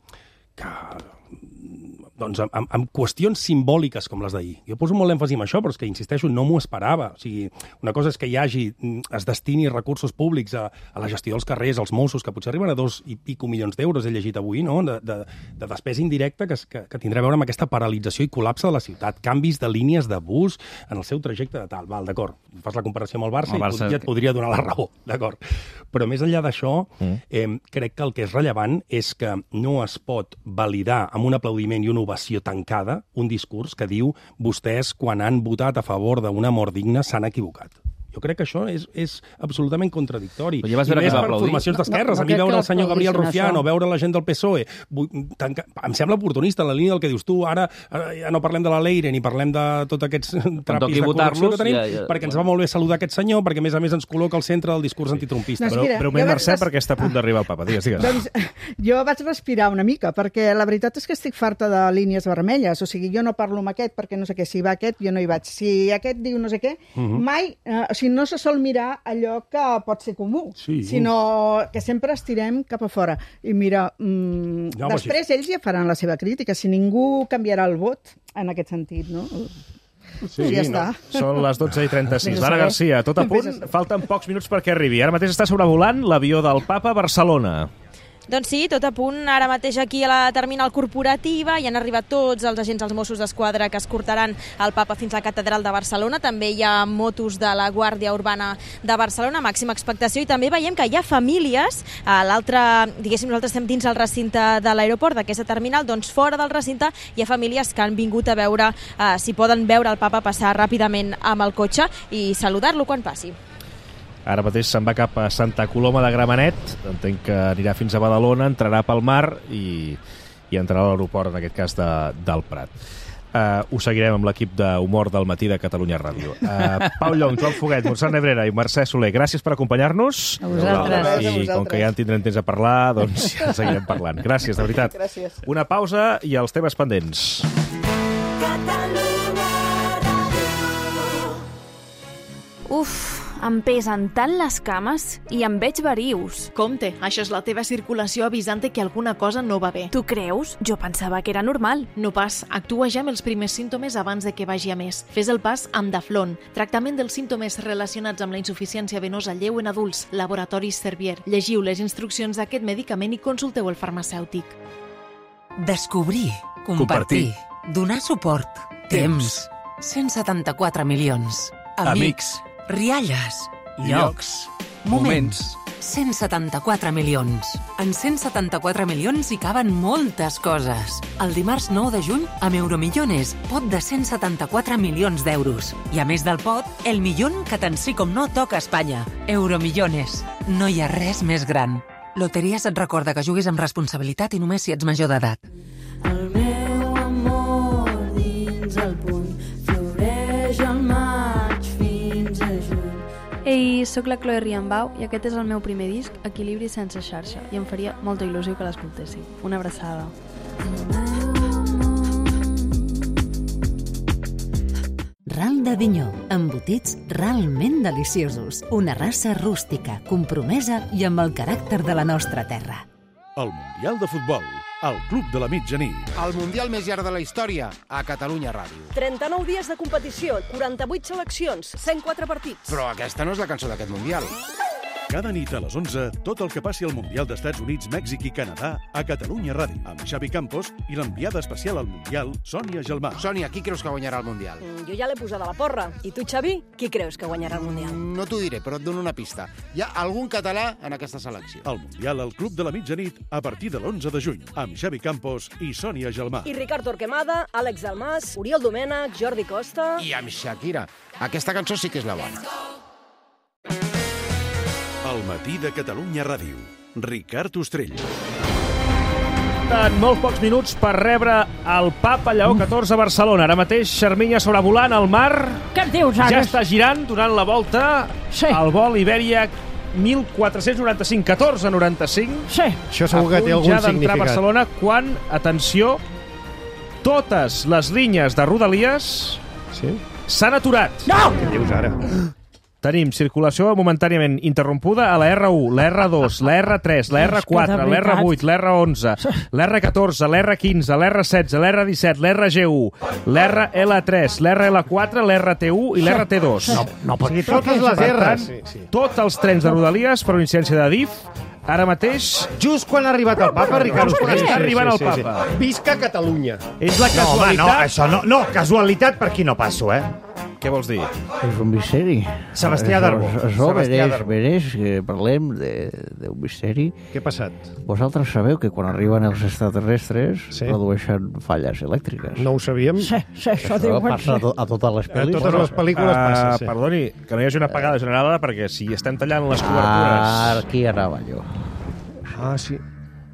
qüestions simbòliques com les d'ahir. Jo poso molt èmfasi en això, però és que, insisteixo, no m'ho esperava. O sigui, una cosa és que es destini recursos públics a la gestió dels carrers, als Mossos, que potser arriben a 2 i pico milions d'euros, he llegit avui, no? de despesa indirecta que tindrà a veure amb aquesta paralització i col·lapse de la ciutat, canvis de línies de bus en el seu trajecte de tal. Val, d'acord, fas la comparació amb el Barça i ja et podria donar la raó, d'acord. Però més enllà d'això, crec que el que és rellevant és que no es pot validar amb un aplaudiment i una ovació tancada un discurs que diu vostès, quan han votat a favor d'una mort digna, s'han equivocat. Jo crec que això és absolutament contradictori. Ja vas veure I més que va per aplaudir. formacions d'esquerres. A mi veure el senyor Gabriel Rufián o veure la gent del PSOE em sembla oportunista en la línia del que dius tu. Ara ja no parlem de la Leire ni parlem de tots aquests trapis de corrupció que tenim, perquè ens va molt bé saludar aquest senyor, perquè a més ens col·loca al centre del discurs antitrumpista. Breument, Mercè, perquè està a punt d'arribar el papa. Digues. Doncs jo vaig respirar una mica, perquè la veritat és que estic farta de línies vermelles. O sigui, jo no parlo amb aquest perquè no sé què. Si va aquest, jo no hi vaig. Si aquest diu no sé què, mai... no se sol mirar allò que pot ser comú, sinó que sempre estirem cap a fora. I mira, després ells ja faran la seva crítica, si ningú canviarà el vot en aquest sentit, no? Sí, ja està. Són les 12:36. Lara Garcia, tot a punt, falten pocs minuts perquè arribi. Ara mateix està sobrevolant l'avió del Papa a Barcelona. Doncs sí, tot a punt. Ara mateix aquí a la terminal corporativa hi han arribat tots els agents dels Mossos d'Esquadra que escortaran el Papa fins a la Catedral de Barcelona. També hi ha motos de la Guàrdia Urbana de Barcelona, màxima expectació, i també veiem que hi ha famílies a l'altre, diguéssim, nosaltres estem dins el recinte de l'aeroport d'aquesta terminal, doncs fora del recinte hi ha famílies que han vingut a veure si poden veure el Papa passar ràpidament amb el cotxe i saludar-lo quan passi. Ara mateix se'n va cap a Santa Coloma de Gramenet, entenc que anirà fins a Badalona, entrarà pel mar i entrarà a l'aeroport, en aquest cas, del Prat. Ho seguirem amb l'equip d'humor del matí de Catalunya Ràdio. Pau Llong, Joan Foguet, Montserrat Nebrera i Mercè Soler, gràcies per acompanyar-nos. A vosaltres. I com que ja en tindrem temps a parlar, doncs ja seguirem parlant. Gràcies, de veritat. Gràcies. Una pausa i els temes pendents. Uf, em pesen tant les cames i em veig verius. Compte, això és la teva circulació avisant-te que alguna cosa no va bé. Tu creus? Jo pensava que era normal. No pas, actua ja amb els primers símptomes abans de que vagi a més. Fes el pas amb Daflon, tractament dels símptomes relacionats amb la insuficiència venosa lleu en adults, Laboratoris Servier. Llegiu les instruccions d'aquest medicament i consulteu el farmacèutic. Descobrir, compartir, donar suport, temps, 174 milions, amics, rialles, llocs, moments, 174 milions. En 174 milions hi caben moltes coses. El dimarts 9 de juny, amb Euromillones, pot de 174 milions d'euros. I a més del pot, el millón que tant sí com no toca a Espanya. Euromillones. No hi ha res més gran. Loteries et recorda que juguis amb responsabilitat i només si ets major d'edat. El meu amor dins el puny floreix al maig fins a juny. Ei, sóc la Chloe Riambau i aquest és el meu primer disc, Equilibri sense xarxa, i em faria molta il·lusió que l'escoltéssiu. Una abraçada. Ral d'Avinyó, embotits realment deliciosos. Una raça rústica, compromesa i amb el caràcter de la nostra terra. El Mundial de Futbol, al Club de la Mitjanit. El Mundial més llarg de la història, a Catalunya Ràdio. 39 dies de competició, 48 seleccions, 104 partits. Però aquesta no és la cançó d'aquest Mundial. Cada nit a les 11, tot el que passi al Mundial d'Estats Units, Mèxic i Canadà a Catalunya Ràdio, amb Xavi Campos i l'enviada especial al Mundial, Sònia Gelmà. Sònia, qui creus que guanyarà el Mundial? Jo ja l'he posada a la porra. I tu, Xavi, qui creus que guanyarà el Mundial? No t'ho diré, però et dono una pista. Hi ha algun català en aquesta selecció. El Mundial al Club de la Mitjanit a partir de l'11 de juny, amb Xavi Campos i Sònia Gelmà. I Ricard Torquemada, Àlex Dalmas, Oriol Domènech, Jordi Costa... I amb Shakira. Aquesta cançó sí que és la bona. El El matí de Catalunya Ràdio. Ricard Ostrell. En molt pocs minuts per rebre el Papa Lleó XIV a Barcelona. Ara mateix, Xerminya sobrevolant el mar. Què em dius, ara? Ja està girant, donant la volta. Sí. El vol Ibèria 1495, 1495. Sí. Això segur que té algun ja d'entrar significat. a Barcelona quan, atenció, totes les línies de Rodalies s'han aturat. No! Què dius ara? Tenim circulació momentàniament interrompuda a la R1, la R2, la R3, la R4, la R8, la R11, la R14, la R15, la R16, la R17, la RG1, la RL3, la RL4, la RT1 i la RT2. No pot ser. Totes les R's. Tots els trens de Rodalies per una incidència de DIF, ara mateix... Just quan ha arribat el papa, Ricard. Just quan està arribant el papa. Visca Catalunya. És la casualitat... No, això no. No, casualitat per aquí no passo, Què vols dir? És un misteri. Sebastià Darbo. Això mereix que parlem d'un misteri. Què ha passat? Vosaltres sabeu que quan arriben els extraterrestres produeixen falles elèctriques. No ho sabíem? Sí, això diuen. Passa a totes les pel·lícules. A totes les pel·lícules passa, sí. Perdoni, que no hi hagi una apagada generada, perquè si estem tallant les cobertures... Aquí anava jo. Sí.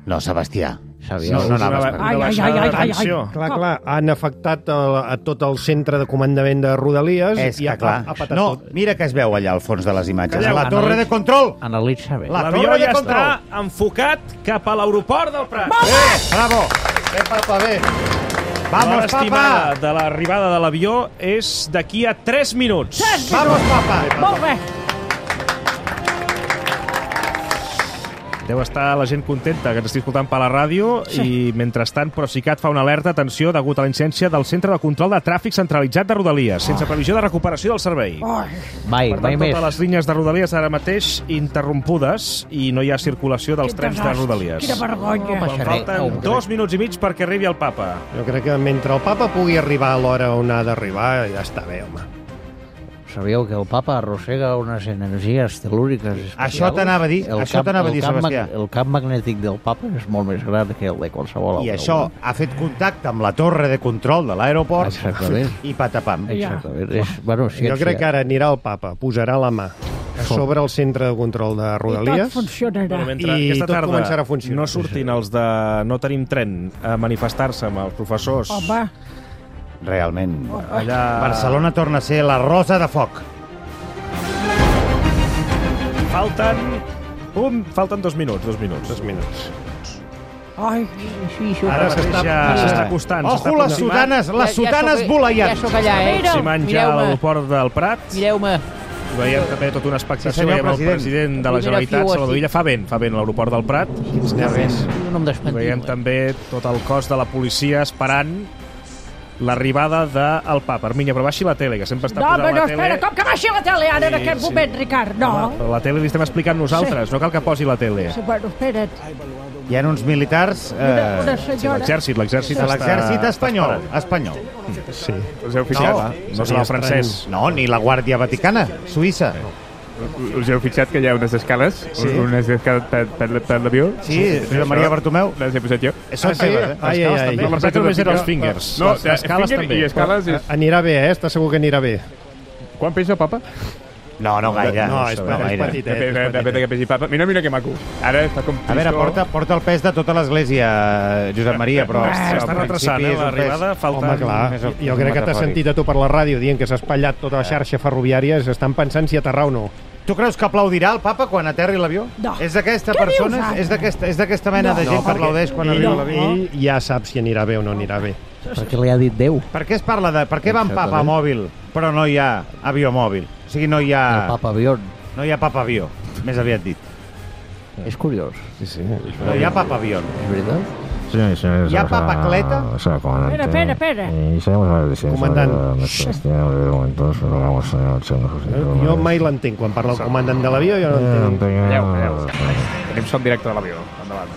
No, Sebastià. Sabia, No anaves Ai. Clar, han afectat a tot el centre de comandament de Rodalies. És que, clar, ha patat no, tot. mira què es veu allà al fons de les imatges. Calleu, La torre de control! Analitza bé. L'avió ja està enfocat cap a l'aeroport del Prat. Molt bé! Bravo! Papa, bé! Vamos, L'hora estimada de l'arribada de l'avió és d'aquí a 3 minuts. Vamos, papa! Molt bé! Deu estar la gent contenta que ens estigui escoltant per la ràdio i, mentrestant, Procicat fa una alerta, atenció, degut a la incidència del Centre de Control de Tràfic Centralitzat de Rodalies, sense previsió de recuperació del servei. Mai Per tant, més. totes les línies de Rodalies ara mateix interrompudes i no hi ha circulació dels trens de Rodalies. Quina vergonya. Quan falten 2 minuts i mig perquè arribi el papa. Jo crec que mentre el papa pugui arribar a l'hora on ha d'arribar, ja està bé, home. Sabíeu que el papa arrossega unes energies telúriques especials? Això t'anava a dir, Sebastià. El camp magnètic del papa és molt més gran que el de qualsevol altre. I això ha fet contacte amb la torre de control de l'aeroport i patapam. Exactament. Jo crec que ara anirà el papa, posarà la mà a sobre el centre de control de Rodalies. I tot funcionarà. Mentre I aquesta tot tarda començarà a funcionar. no surtin els de No tenim tren a manifestar-se amb els professors. Home, Realment. Allà... Barcelona torna a ser la rosa de foc. Falten 2 minuts. 2 minuts. ai, Ara s'està acostant. Ojo, les sotanes voleiants. Ja sóc allà, Aproximant ja a l'aeroport del Prat. Mireu-me. Veiem també tota una expectació. Sí, senyor veiem el president de la Generalitat, Salvador Illa. Fa vent a l'aeroport del Prat. Quins nervis. Veiem també tot el cos de la policia esperant l'arribada del papa. Arminya, però baixi la tele, que sempre està posant la tele. espera, com que baixi la tele ara en aquest moment, Ricard? No. Home, la tele li estem explicant nosaltres, no cal que posi la tele. Sí, bueno, espera't. Hi ha uns militars... Una senyora. L'exèrcit espanyol. Sí. Us heu fixat? No serà el francès. No, ni la Guàrdia Vaticana, Suïssa. Us heu fixat que hi ha unes escales? Sí. Unes escales per l'avió? Sí, Josep Maria Bartomeu. Les he posat jo. Són seves, Ai. No, les només eren els fingers. No, les escales també. I escales és... Anirà bé, Està segur que anirà bé. Quan pesa el papa? No gaire. No, és petitet. Depèn de que pesi papa. Mira que maco. Ara està com... A veure, porta el pes de tota l'església, Josep Maria, però... Està retrasant, l'arribada. Home, clar, jo crec que t'has sentit a tu per la ràdio dient que s'ha espatllat tota la xarxa ferroviària i s'estan pensant si aterrar o no. Tu creus que aplaudirà el papa quan aterri l'avió? No. És d'aquesta persona? És d'aquesta mena de gent que aplaudeix quan arriba l'avió? Ell ja sap si anirà bé o no anirà bé. Perquè li ha dit Déu. Per què es parla de... Per què va en papa mòbil, però no hi ha avió mòbil? O sigui, no hi ha... El papa avió. No hi ha papa avió, més aviat dit. És curiós. Sí. No hi ha papa avió. És veritat? ¿Hi ha papacleta? Espera. Comandant. Jo mai l'entenc. Quan parla el comandant de l'avió, jo no entenc. Tenim som directe de l'avió. Endavant.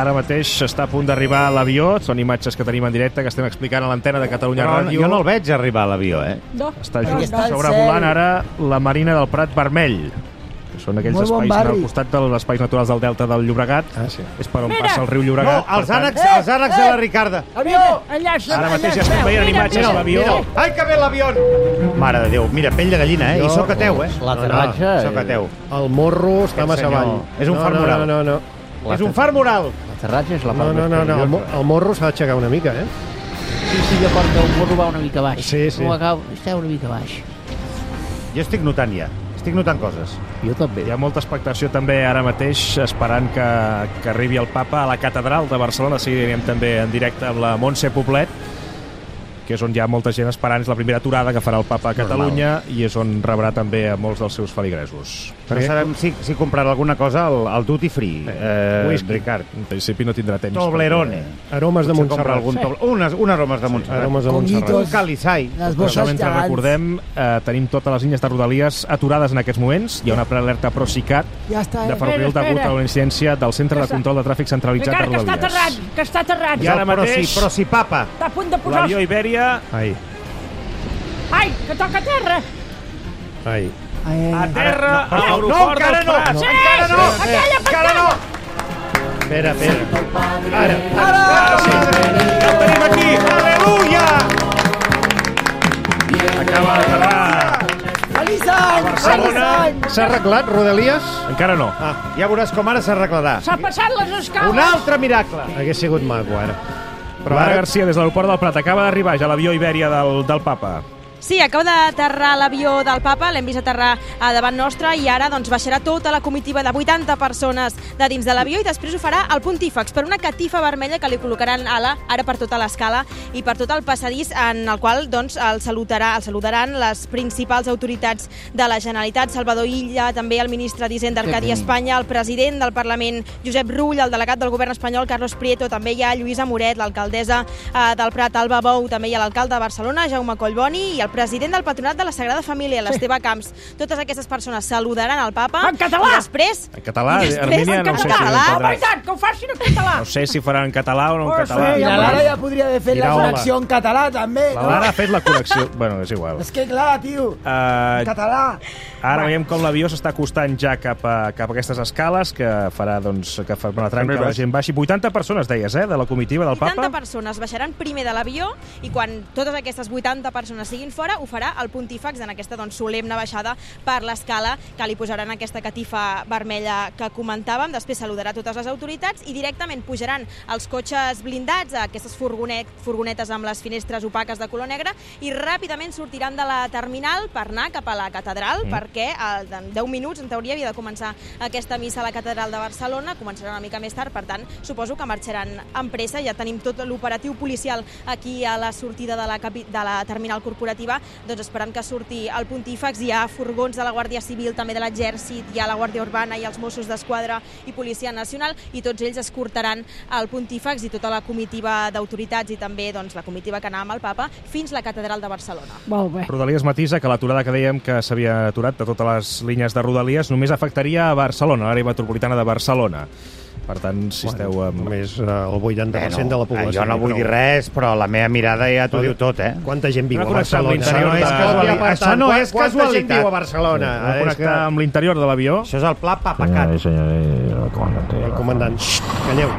Ara mateix està a punt d'arribar a l'avió. Són imatges que tenim en directe, que estem explicant a l'antena de Catalunya Ràdio. Jo no el veig arribar a l'avió, No. Està just sobrevolant ara la Marina del Prat Vermell. Són aquells espais al costat dels espais naturals del Delta del Llobregat. És per on passa el riu Llobregat. No, els ànecs de la Ricarda. Avió! Ara mateix ja estem veient imatges de l'avió. Ai, que bé l'avió! Mare de Déu, mira, pell de gallina, I soc ateu, L'aterratge... Soc ateu. El morro està massa avall. És un far moral. No. És un far moral. L'aterratge és la part No, el morro s'ha d'aixecar una mica, Sí, jo porto el morro va una mica baix. Sí. Està una mica baix. Jo estic notant coses. Jo també. Hi ha molta expectació també ara mateix esperant que arribi el papa a la catedral de Barcelona. Seguirem també en directe amb la Montse Poblet, que és on hi ha molta gent esperant. És la primera aturada que farà el papa a Catalunya i és on rebrà també a molts dels seus feligresos. Però sabem si comprarà alguna cosa al Duty Free, Ricard. En principi no tindrà temps. Toblerone. Aromes de Montserrat. Un aromes de Montserrat. Un calisai. Però mentre recordem, tenim totes les línies de Rodalies aturades en aquests moments. Hi ha una prealerta Procicat de ferrocarril degut a una incidència del Centre de Control de Tràfic Centralitzat de Rodalies. Que està aterrant. I ara mateix, Procipapa. Està a punt de posar... l'avió Ibèria... Ai, que toca a terra. A terra, a l'aeroport del Prat. Encara no! Espera. Ara! El tenim aquí! Aleluia! Acaba d'aterrar Feliç a any! Barcelona. S'ha arreglat, Rodalies? Encara no. Ja veuràs com ara s'arreglarà. S'ha passat les escales. Un altre miracle! Hagués sigut maco, ara. Però Lara Garcia, des de l'aeroport del Prat, acaba d'arribar ja l'avió Ibèria del papa. Sí, acaba d'aterrar l'avió del papa, l'hem vist aterrar davant nostre i ara doncs, baixarà tota la comitiva de 80 persones de dins de l'avió i després ho farà el pontífex per una catifa vermella que li col·locaran ara per tota l'escala i per tot el passadís en el qual doncs, el saludaran les principals autoritats de la Generalitat, Salvador Illa, també el ministre d'Hisenda Arcadi Espanya, el president del Parlament Josep Rull, el delegat del govern espanyol Carlos Prieto, també hi ha Lluïsa Moret, l'alcaldessa del Prat Alba Bou, també hi ha l'alcalde de Barcelona Jaume Collboni i el president del Patronat de la Sagrada Família, l'Esteve Camps. Totes aquestes persones saludaran el papa. En català! I després... En català, Armínia, no sé si ho entendràs. Que ho facin en català! No sé si faran en català o no en català. I la Lara ja podria haver fet la connexió en català, també. La Lara ha fet la connexió. Bueno, és igual. És que clar, tio, català. Ara veiem com l'avió s'està acostant ja cap a aquestes escales que farà, doncs, que farà una tranca que la gent baixi. 80 persones, deies, de la comitiva del papa? 80 persones baixaran primer de l'avió i quan totes aquestes 80 persones siguin fora ho farà el pontífex en aquesta solemne baixada per l'escala que li posaran aquesta catifa vermella que comentàvem. Després saludarà totes les autoritats i directament pujaran els cotxes blindats, aquestes furgonetes amb les finestres opaques de color negre i ràpidament sortiran de la terminal per anar cap a la catedral perquè en 10 minuts, en teoria, havia de començar aquesta missa a la catedral de Barcelona, començarà una mica més tard, per tant, suposo que marxaran amb pressa. Ja tenim tot l'operatiu policial aquí a la sortida de la terminal corporativa, doncs esperant que surti el pontífex. Hi ha furgons de la Guàrdia Civil, també de l'Exèrcit, hi ha la Guàrdia Urbana i els Mossos d'Esquadra i Policia Nacional, i tots ells escortaran el pontífex i tota la comitiva d'autoritats i també doncs, la comitiva que anava amb el papa fins a la catedral de Barcelona. Molt bé. Rodalies matisa que l'aturada que dèiem que s'havia aturat de totes les línies de Rodalies només afectaria a Barcelona, l'àrea metropolitana de Barcelona. Per tant, si esteu amb... Només el 80% de la població. Jo no vull dir res, però la meva mirada ja t'ho diu tot, Quanta gent viu a Barcelona? Això no és casualitat. Quanta gent viu a Barcelona? Va connectar amb l'interior de l'avió. Això és el pla Papacat. El comandant. Calleu.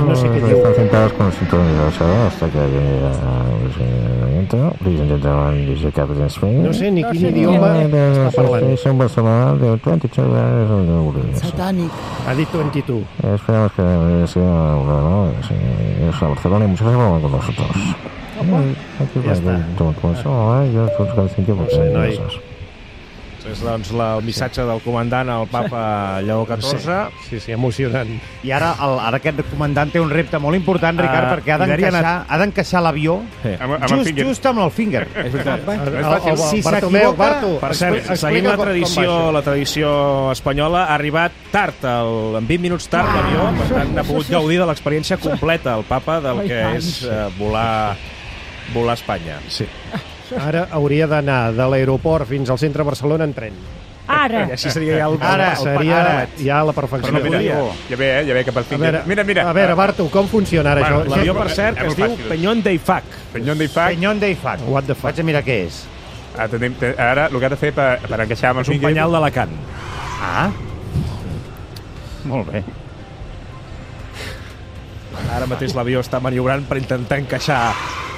No sé què diu. Están sentados con el cinturón de hasta que no sé ni quin idioma està parlant. Satànic. Ha dit 22. Esperamos que es a Barcelona y muchas gracias con nosotros. Ja està. No sé, noi. És doncs el missatge del comandant al papa Lleó XIV. Sí, emocionant. I ara aquest comandant té un repte molt important, Ricard, perquè ha d'encaixar l'avió just amb el finger. És veritat. Si s'equivoca... Per cert, seguint la tradició espanyola, ha arribat tard, en 20 minuts tard l'avió, per tant ha pogut gaudir de l'experiència completa el papa del que és volar a Espanya. Sí. Ara hauria d'anar de l'aeroport fins al centre de Barcelona en tren. Ara. I així seria ja la perfecció. Però no ja ve cap al finger. Mira. A veure, Bartu, com funciona ara això? L'avió, per cert, que es diu Peñón de Ifac. Peñón de Ifac. What the fuck? Vaig a mirar què és. Ara, el que ha de fer per encaixar amb el és un penyal d'Alacant. Ah. Molt bé. Ara mateix l'avió està maniobrant per intentar encaixar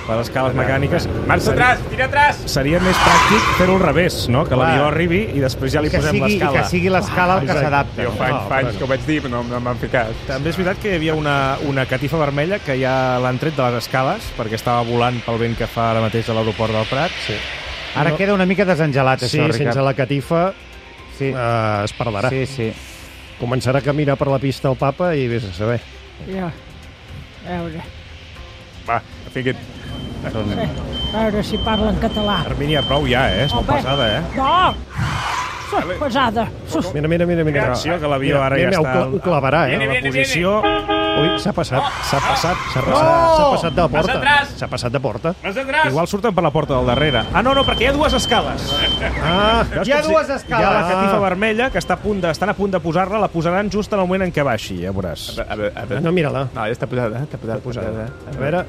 les escales mecàniques. Marxa atrás, tira atrás! Seria més pràctic fer-ho al revés, no? Que l'avió arribi i després ja li posem l'escala. Que sigui l'escala el que s'adapta. Jo fa anys que ho vaig dir, però no m'han ficat. També és veritat que hi havia una catifa vermella que ja l'han tret de les escales perquè estava volant pel vent que fa ara mateix a l'aeroport del Prat. Sí. Ara queda una mica desengelat, això, Ricard. Sí, sense la catifa es perdrà. Sí. Començarà a caminar per la pista el papa i vés a saber. Ja, a veure. Va, fica't. A veure si parla en català. Hermínia, prou ja, és molt pesada, No! Sos pesada. Mira. Atenció, que l'avió ara ja està... Ho clavarà, en la posició... Ui, s'ha passat de porta. S'ha passat de porta. Igual surten per la porta del darrere. Ah, no, perquè hi ha dues escales. Hi ha dues escales. Hi ha la catifa vermella, que estan a punt de posar-la, la posaran just en el moment en què baixi, ja veuràs. A veure. No, mira-la. No, ja està posada. A veure...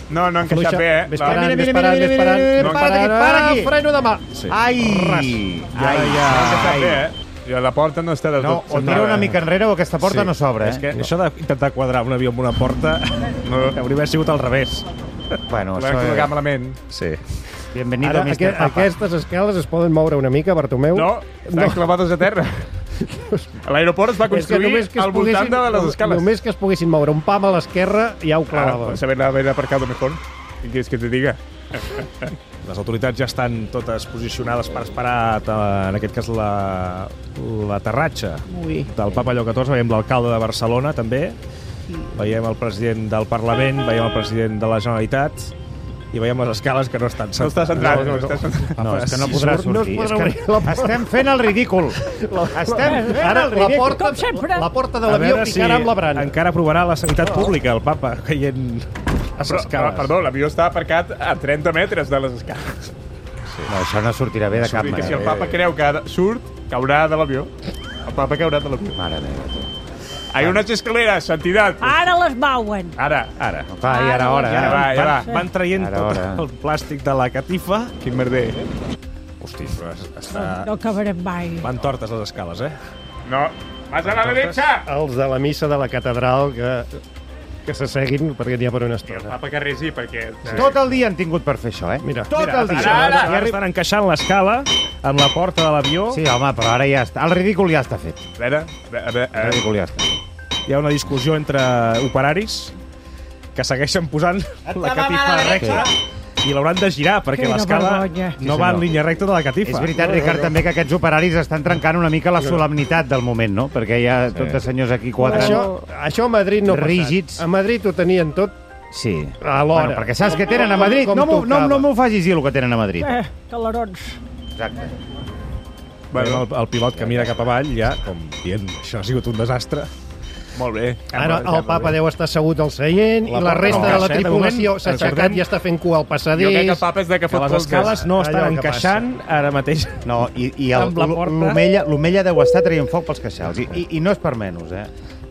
No ha encaixat bé, Ves parant. Para aquí. Freno de mà. Ai. Ja ha encaixat bé, I la porta no està del tot... O tira una mica enrere o aquesta porta no s'obre. És que això d'intentar quadrar un avió amb una porta hauria d'haver sigut al revés. Bueno, això... L'hem col·locat malament. Sí. Bienvenido, Mr. Papa. Aquestes escales es poden moure una mica, Bartomeu? No, estan clavades a terra. L'aeroport es va construir al voltant de les escales. Només que es poguessin moure un pam a l'esquerra, ja ho clavava. Saber haver aparcado mejor. Què quieres que te diga? Les autoritats ja estan totes posicionades per esperar, en aquest cas, l'aterratge del Papa Lleó XIV. Veiem l'alcalde de Barcelona, també. Veiem el president del Parlament, veiem el president de la Generalitat i veiem les escales que no estan centrades. No està centrat. No, és que no podrà sortir. Estem fent el ridícul. Com sempre. La porta de l'avió picarà amb la brana. Encara aprovarà la sanitat pública, el Papa, caient a les escales. Perdó, l'avió està aparcat a 30 metres de les escales. No, això no sortirà bé de cap manera. Si el Papa creu que surt, caurà de l'avió. El Papa caurà de l'avió. Mare meva. Hay unes escaleres, santidad. Ara les mouen. Ara. Va, i ara hora. Ja va. Van traient tot el plàstic de la catifa. Quin merder. Hosti, però està... No acabarem mai. Van tortes les escales, No, vas a la derecha. Els de la missa de la catedral que s'asseguin perquè n'hi ha per una estona. El Papa que resi, perquè... Tot el dia han tingut per fer això, Mira, tot el dia. Ara estan encaixant l'escala amb la porta de l'avió. Sí, home, però ara ja està. El ridícul ja està fet. A veure. El ridícul ja està. Hi ha una discussió entre operaris que segueixen posant la catifa recta i l'hauran de girar perquè l'escala no va en línia recta de la catifa. És veritat, Ricard, també que aquests operaris estan trencant una mica la solemnitat del moment, no? Perquè hi ha tot de senyors aquí quadrats. Això a Madrid no ha rígids. A Madrid ho tenien tot alhora. Bueno, perquè saps què tenen a Madrid? No m'ho facis dir el que tenen a Madrid. Calarons. Exacte. Bueno, el pilot que mira cap avall ja, com dient, això ha sigut un desastre. Molt bé. Ara el papa deu estar assegut al seient i la resta de la tripulació s'ha aixecat i està fent cua al passadís. Jo crec que el papa és de que fot les escales no estan encaixant ara mateix. No, i l'Omella deu estar traient foc pels queixals. I no és per menys,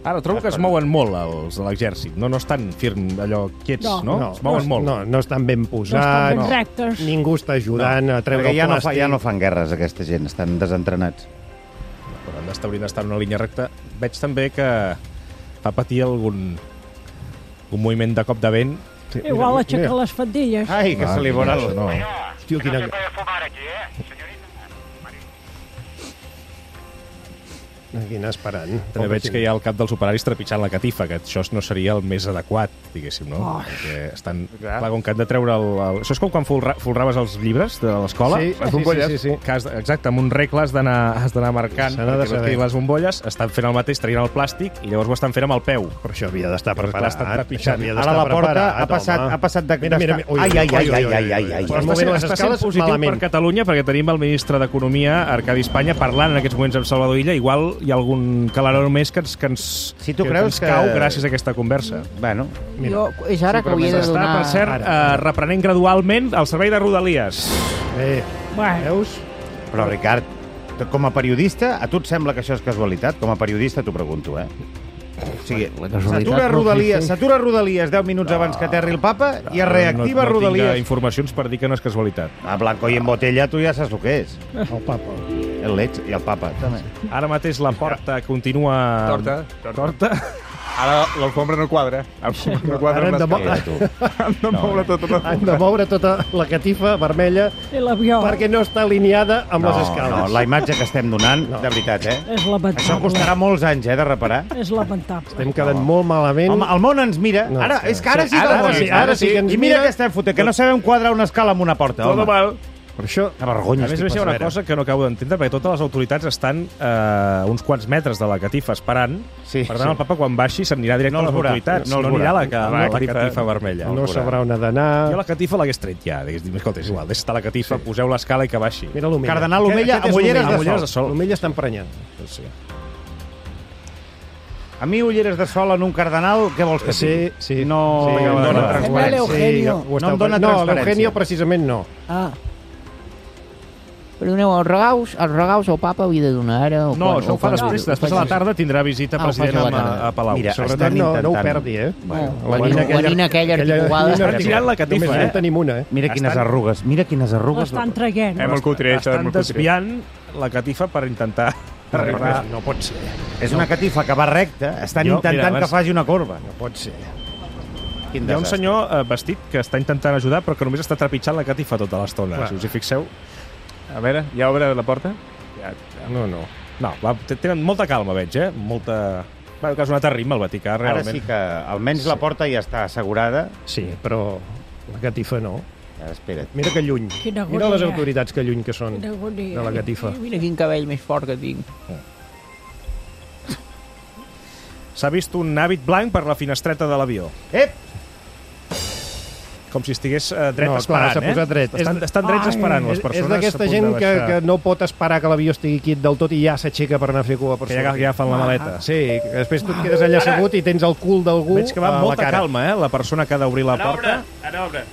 Ara, trobo que es mouen molt els de l'exèrcit. No estan firms, allò, quiets, no? Es mouen molt. No estan ben posats. No estan ben rectes. Ningú està ajudant a treure el plàstic. Ja no fan guerres, aquesta gent. Estan desentrenats. Però haurien d'estar en una línia recta. Veig també que va patir algun moviment de cop de vent. Igual aixeca les faldilles. Ai, que se li veurà el... No. Hòstia, quina... Aquí anar esperant. També veig que hi ha el cap dels operaris trepitjant la catifa, que això no seria el més adequat, diguéssim, no? Perquè estan... Clar, com que han de treure el... Això és com quan folraves els llibres de l'escola? Sí, les bombolles. Sí. Exacte, amb un regle has d'anar marcant perquè no les bombolles, estan fent el mateix, traient el plàstic, i llavors ho estan fent amb el peu. Però això havia d'estar preparat. Ara la porta ha passat de... Mira. Ai. Està sent positiu per Catalunya, perquè tenim el ministre d'Economia, Arcadi Espanya, parlant en aquests moments amb Salvador Illa. Igual hi ha algun calaró més que ens cau gràcies a aquesta conversa. Bueno, és ara que hauria de donar... Està, per cert, reprenent gradualment el servei de Rodalies. Veus? Però, Ricard, com a periodista, a tu et sembla que això és casualitat? Com a periodista t'ho pregunto, O sigui, s'atura Rodalies 10 minuts abans que aterri el papa i es reactiva Rodalies. No tinc informacions per dir que no és casualitat. A Blanco i en botella tu ja saps el que és. El papa. El leig i el papa, també. Ara mateix la porta continua... Torta. Ara l'alfombra no quadra. No quadra han de moure tota la catifa vermella perquè no està alineada amb les escales. No, la imatge que estem donant, de veritat, És lamentable. Això costarà molts anys, de reparar. És lamentable. Estem quedant molt malament. Home, el món ens mira. Ara sí que el món ara sí que ens mira. I mira que estem fotent, que no sabem quadrar una escala amb una porta. Tot mal. Per això... A vergonya. A més, hi ha una cosa que no acabo d'entendre, perquè totes les autoritats estan uns quants metres de la catifa esperant. Per tant, el papa, quan baixi, s'anirà directe a les autoritats. No anirà a la catifa vermella. No sabrà on ha d'anar. Jo la catifa l'hagués tret ja. Escolta, és igual, deixa estar la catifa, poseu l'escala i que baixi. Mira l'Omella. Cardenal Omella amb ulleres de sol. L'Omella està emprenyant. A mi ulleres de sol en un cardenal, què vols que sigui? Sí. No em dona transparència. No em dona transparència. No, l'Eugenio precisament no. Perdoneu, els regals al papa havia de donar ara? No, això ho fa després. Després a la tarda tindrà visita president a Palau. Mira, sobretot no ho perdi, La nina aquella articulada. Estan tirant la catifa, Només en tenim una, Mira quines arrugues. L'estan traient. Estan desviant la catifa per intentar arribar. No pot ser. És una catifa que va recta. Estan intentant que faci una corba. No pot ser. Hi ha un senyor vestit que està intentant ajudar però que només està trepitjant la catifa tota l'estona. Si us hi fixeu. A veure, ja obre la porta? No, tenen molta calma, veig, molta... Que és un altre ritme, el Vaticà, realment. Ara sí que almenys la porta ja està assegurada. Sí, però la catifa no. Espera't. Mira que lluny. Mira les autoritats que lluny que són de la catifa. Mira quin cabell més fort que tinc. S'ha vist un hàbit blanc per la finestreta de l'avió. Com si estigués dret esperant, s'ha posat dret. Estan drets esperant les persones. És d'aquesta gent que no pot esperar que l'avió estigui quit del tot i ja s'aixeca per anar a fer cua per sortir. Que ja fan la maleta. Sí, que després tu et quedes allà assegut i tens el cul d'algú a la cara. Veig que va amb molta calma, la persona que ha d'obrir la porta. Ara obre.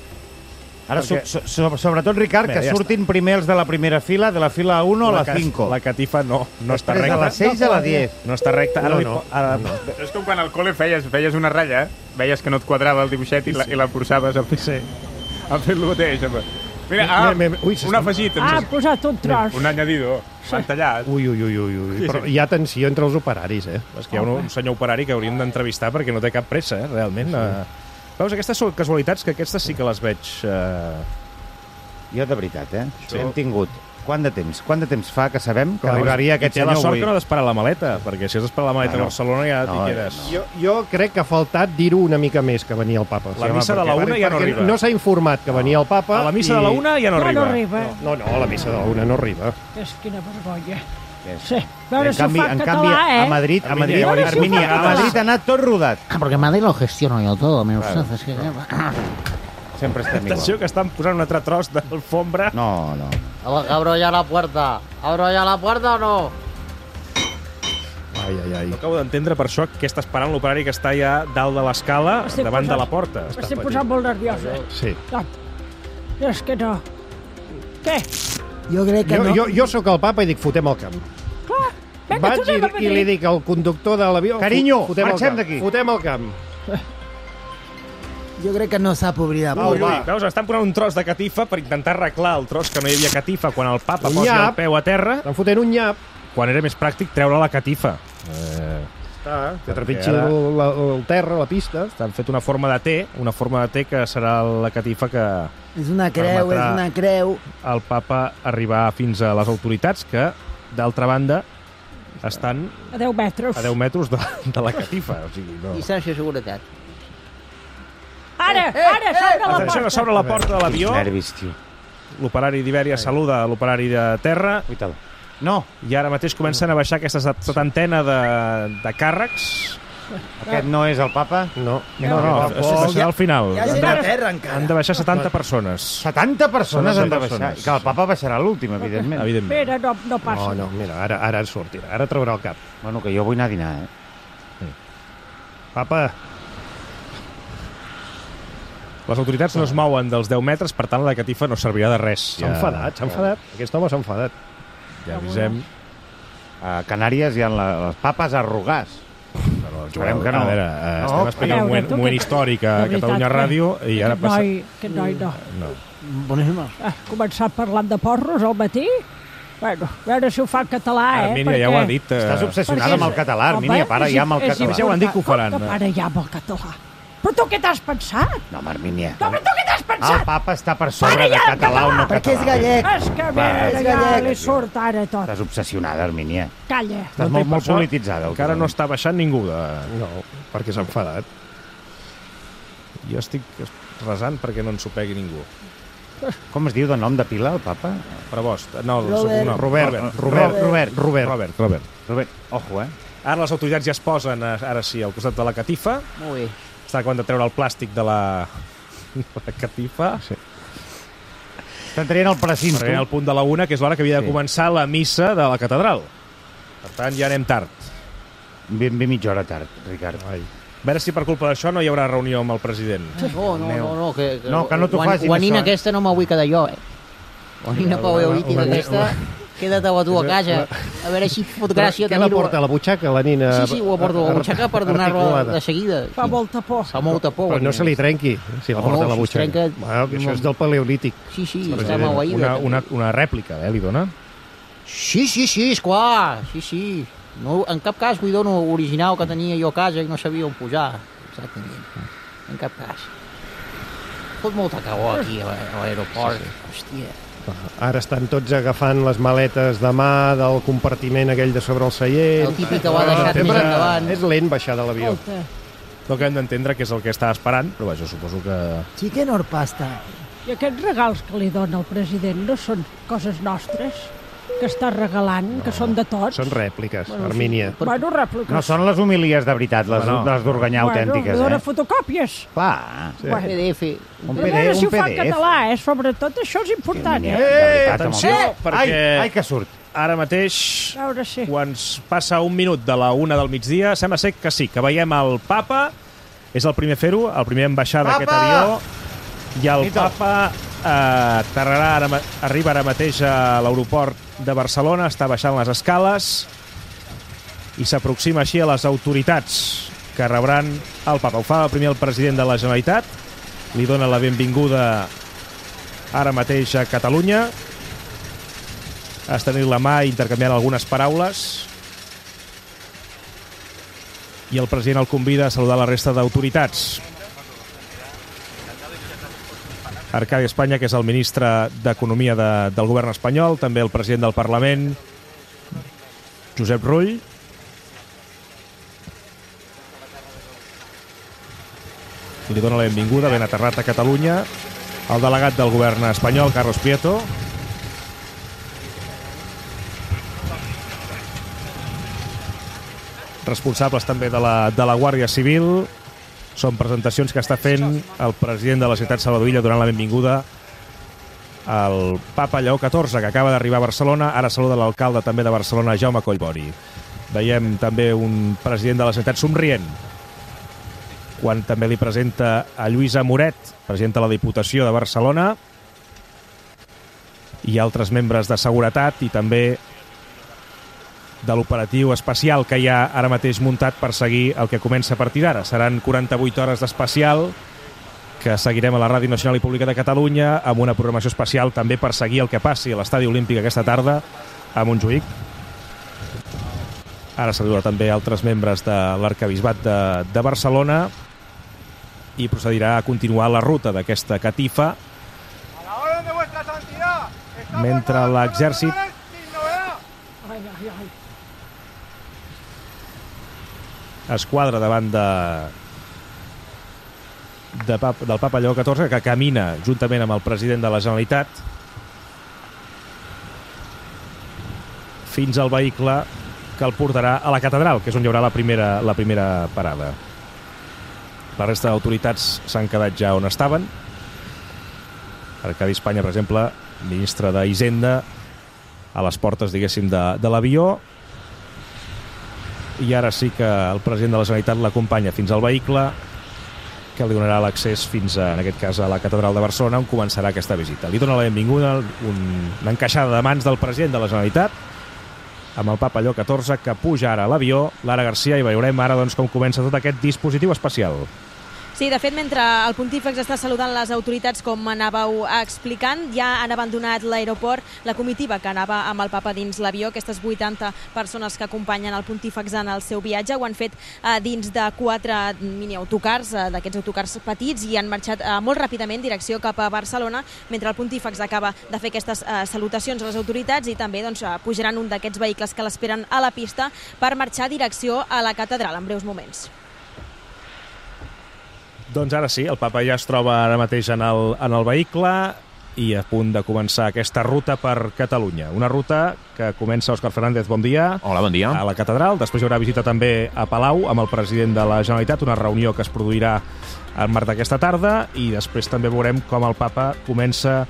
Ara, sobretot, Ricard, que surtin primer els de la primera fila, de la fila 1 a la 5. La catifa no està recta. De la 6 a la 10. No està recta. És com quan al col·le feies una ratlla, veies que no et quadrava el dibuixet i la forçaves a fer el mateix. Mira, un afegit. Ha posat un tros. Un añadido. S'han tallat. Ui. Però hi ha tensió entre els operaris, És que hi ha un senyor operari que hauríem d'entrevistar perquè no té cap pressa, realment. Veus, aquestes són casualitats que aquestes sí que les veig... Jo, de veritat, hem tingut... Quant de temps fa que sabem que arribaria aquest senyor avui? I té la sort que no ha d'esperar la maleta, perquè si has d'esperar la maleta a Barcelona ja t'hi quedes. Jo crec que ha faltat dir-ho una mica més que venia el papa. La missa de la 1 ja no arriba. No s'ha informat que venia el papa. A la missa de la 1 ja no arriba. No, a la missa de la 1 no arriba. És quina vergonya. Sí. En canvi, a Madrid ha anat tot rodat. Porque Madrid lo gestiono yo todo, menos Sempre estem igual. Atenció, que estan posant un altre tros d'alfombra. No. ¿Abro ya la puerta? ¿Abro ya la puerta o no? Ai. No acabo d'entendre per això que està esperant l'operari que està ja dalt de l'escala davant de la porta. M'estic posant molt nerviosa. Sí. És que no. Què? Jo crec que no. Jo sóc el papa i dic, fotem el camp. Clar, vaig i li dic al conductor de l'avió... Carinyo, marxem d'aquí. Fotem el camp. Jo crec que no sap obrir la porta. Veus, estan posant un tros de catifa per intentar arreglar el tros que no hi havia catifa quan el papa posa el peu a terra. Estan fotent un nyap. Quan era més pràctic treure la catifa. Que trepitgi el terra, la pista. Estan fet una forma de T, que serà la catifa que... És una creu. El papa arribar fins a les autoritats que, d'altra banda, estan... A 10 metres. A 10 metres de la catifa. O sigui, no. I xarxa de seguretat. Ara, s'obre la porta. Atenció, que s'obre la porta de l'avió. Nervis, tio. L'operari d'Ibèria saluda l'operari de terra. No. I ara mateix comencen a baixar aquesta setantena de càrrecs. Aquest no és el papa? No. Serà al final. Hi ha gent a terra, encara. Han de baixar 70 persones. 70 persones han de baixar? I que el papa baixarà l'últim, evidentment. Espera, no passa. No, mira, ara sortirà. Ara traurà el cap. Bueno, que jo vull anar a dinar, Papa... Les autoritats no es mouen dels 10 metres, per tant la catifa no servirà de res. S'ha enfadat. Aquest home s'ha enfadat. Ja avisem. A Canàries hi ha les papes arrugars. No, Joel, a veure, estem explicant un moment històric a Catalunya Ràdio i ara passa... Aquest noi no. Boníssima. Començat parlant de porros al matí? Bueno, a veure si ho fa en català, Armínia, ja ho ha dit. Estàs obsessionada amb el català, Armínia, para ja amb el català. Ja ho han dit que ho faran. Para ja amb el català. Però tu què t'has pensat? No, Armínia. No, però tu què t'has pensat? El papa està per sobre de català o no català. Perquè és gallec. És que ja li surt ara tot. Estàs obsessionada, Armínia. Calla. Estàs molt polititzada. Encara no està baixant ningú de... No, perquè s'ha enfadat. Jo estic resant perquè no ens ho pegui ningú. Com es diu de nom de pila, el papa? Prebost. No, Robert. Ojo, Ara les autoritats ja es posen, ara sí, al costat de la catifa. Molt bé. Està acabant de treure el plàstic de la catifa. Sí. Estan traient el precinte. Traient el punt de la 1, que és l'hora que havia de començar la missa de la catedral. Per tant, ja anem tard. Ben mitja hora tard, Ricard. A veure si per culpa d'això no hi haurà reunió amb el president. No, que no t'ho facin, guanina això. Aquesta no m'ho vull quedar jo, Guanina paueolítica aquesta, queda't a tu a casa. A veure si fot gràcia tenir-ho. Què la porta, a la butxaca, la nina? Sí, ho porto a la butxaca per donar-lo de seguida. Fa molta por. Fa molta por. Però no se li trenqui, si la porta a la butxaca. Això és del paleolític. Sí, està maleïda. Una rèplica, li dona? Sí, esclar. Sí. No, en cap cas vull donar original que tenia jo a casa i no sabia on posar. Exactament. En cap cas. Fot molta calor aquí a l'aeroport. Hòstia. Ara estan tots agafant les maletes de mà del compartiment aquell de sobre el seient. El típic que ho ha deixat més endavant. És lent baixar de l'avió. No que hem d'entendre que és el que està esperant, però vaja, suposo que... Sí que no pasta. I aquests regals que li dona el president no són coses nostres? Que està regalant, que són de tots. Són rèpliques, Armínia. Bueno, rèpliques. No són les homilies de veritat, les d'Organyà autèntiques. Bueno, dona fotocòpies. Clar. Un PDF. Un si ho fa en català, sobretot això és important. Atenció, perquè... Ai, que surt. Ara mateix, quan passa un minut de la 1 del migdia, sembla ser que sí, que veiem el papa, és el primer a fer-ho, el primer en baixar d'aquest avió, i el papa arriba ara mateix a l'aeroport de Barcelona, està baixant les escales i s'aproxima així a les autoritats que rebran el papa. Ho fa primer el president de la Generalitat, li dona la benvinguda ara mateix a Catalunya, estenent la mà i intercanviant algunes paraules, i el president el convida a saludar la resta d'autoritats. Arcadi Espanya, que és el ministre d'Economia del govern espanyol, també el president del Parlament, Josep Rull. I li dona la benvinguda, ben aterrat a Catalunya, el delegat del govern espanyol, Carlos Prieto. Responsables també de la Guàrdia Civil. Són presentacions que està fent el president de la ciutat Salvador Illa donant la benvinguda al papa Lleó XIV, que acaba d'arribar a Barcelona. Ara saluda l'alcalde també de Barcelona, Jaume Collboni. Veiem també un president de la ciutat somrient, quan també li presenta a Lluïsa Moret, presidenta de la Diputació de Barcelona, i altres membres de seguretat i també de l'operatiu especial que hi ha ara mateix muntat per seguir el que comença a partir d'ara. Seran 48 hores d'especial que seguirem a la Ràdio Nacional i Pública de Catalunya amb una programació especial també per seguir el que passi a l'Estadi Olímpic aquesta tarda a Montjuïc. Ara saluda també altres membres de l'Arquebisbat de Barcelona i procedirà a continuar la ruta d'aquesta catifa mentre l'exèrcit es quadra davant del papa Lleó XIV, que camina juntament amb el president de la Generalitat fins al vehicle que el portarà a la catedral, que és on hi haurà la primera parada. La resta d'autoritats s'han quedat ja on estaven. Arcadi Espanya, per exemple, ministre d'Hisenda, a les portes, diguéssim, de l'avió. I ara sí que el president de la Generalitat l'acompanya fins al vehicle, que li donarà l'accés fins, en aquest cas, a la catedral de Barcelona, on començarà aquesta visita. Li dona la benvinguda una encaixada de mans del president de la Generalitat, amb el papa Lleó XIV, que puja ara a l'avió. Lara Garcia, i veurem ara doncs, com comença tot aquest dispositiu especial. Sí, de fet, mentre el pontífex està saludant les autoritats, com anàveu explicant, ja han abandonat l'aeroport la comitiva que anava amb el papa dins l'avió. Aquestes 80 persones que acompanyen el pontífex en el seu viatge ho han fet dins de 4 mini-autocars, d'aquests autocars petits, i han marxat molt ràpidament en direcció cap a Barcelona, mentre el pontífex acaba de fer aquestes salutacions a les autoritats, i també pujaran un d'aquests vehicles que l'esperen a la pista per marxar a direcció a la catedral en breus moments. Doncs ara sí, el papa ja es troba ara mateix en el vehicle i a punt de començar aquesta ruta per Catalunya. Una ruta que comença, Òscar Fernández, bon dia. Hola, bon dia. A la catedral. Després hi haurà visita també a Palau amb el president de la Generalitat, una reunió que es produirà al març d'aquesta tarda, i després també veurem com el papa comença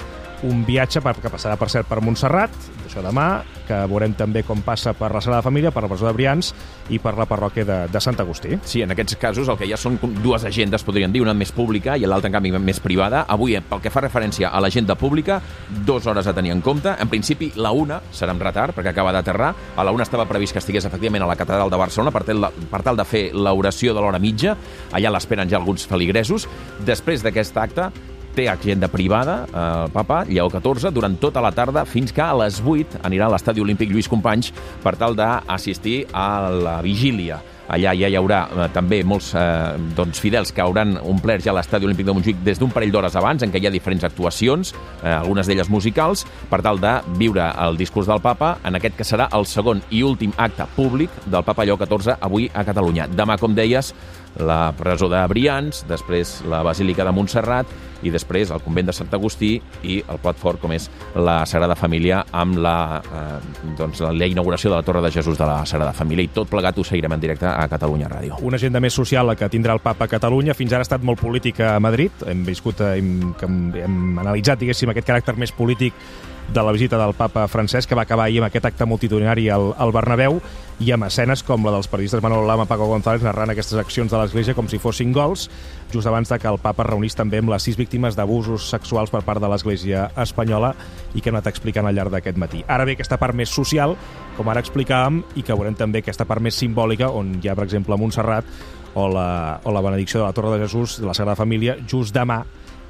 un viatge que passarà, per cert, per Montserrat, això demà, que veurem també com passa per la Sagrada Família, per la presó de Brians i per la parròquia de Sant Agustí. Sí, en aquests casos el que hi ha són dues agendes, podríem dir, una més pública i l'altra, en canvi, més privada. Avui, pel que fa referència a l'agenda pública, 2 hores a tenir en compte. En principi, la 1 serà amb retard, perquè acaba d'aterrar. A la 1 estava previst que estigués, efectivament, a la catedral de Barcelona per tal de fer l'oració de l'hora mitja. Allà l'esperen ja alguns feligresos. Després d'aquest acte, té agenda privada, el papa Lleó XIV, durant tota la tarda, fins que a les 8 anirà a l'estadi olímpic Lluís Companys per tal d'assistir a la vigília. Allà ja hi haurà també molts fidels que hauran omplert ja l'estadi olímpic de Montjuïc des d'un parell d'hores abans, en què hi ha diferents actuacions, algunes d'elles musicals, per tal de viure el discurs del papa en aquest que serà el segon i últim acte públic del papa Lleó XIV avui a Catalunya. Demà, com deies, la presó de Brians, després la Basílica de Montserrat i després el convent de Sant Agustí i el plat fort, com és la Sagrada Família, amb la inauguració de la Torre de Jesús de la Sagrada Família. I tot plegat ho seguirem en directe a Catalunya Ràdio. Una agenda més social la que tindrà el papa a Catalunya. Fins ara ha estat molt política a Madrid. Hem analitzat, diguéssim, aquest caràcter més polític de la visita del papa Francesc, que va acabar ahir amb aquest acte multitudinari al Bernabéu, i amb escenes com la dels periodistes Manolo Lama i Paco González narrant aquestes accions de l'Església com si fossin gols, just abans de que el papa reunís també amb les 6 víctimes d'abusos sexuals per part de l'Església espanyola i que hem anat explicant al llarg d'aquest matí. Ara ve aquesta part més social, com ara explicàvem, i que veurem també aquesta part més simbòlica, on hi ha, per exemple, Montserrat o la benedicció de la Torre de Jesús de la Sagrada Família just demà,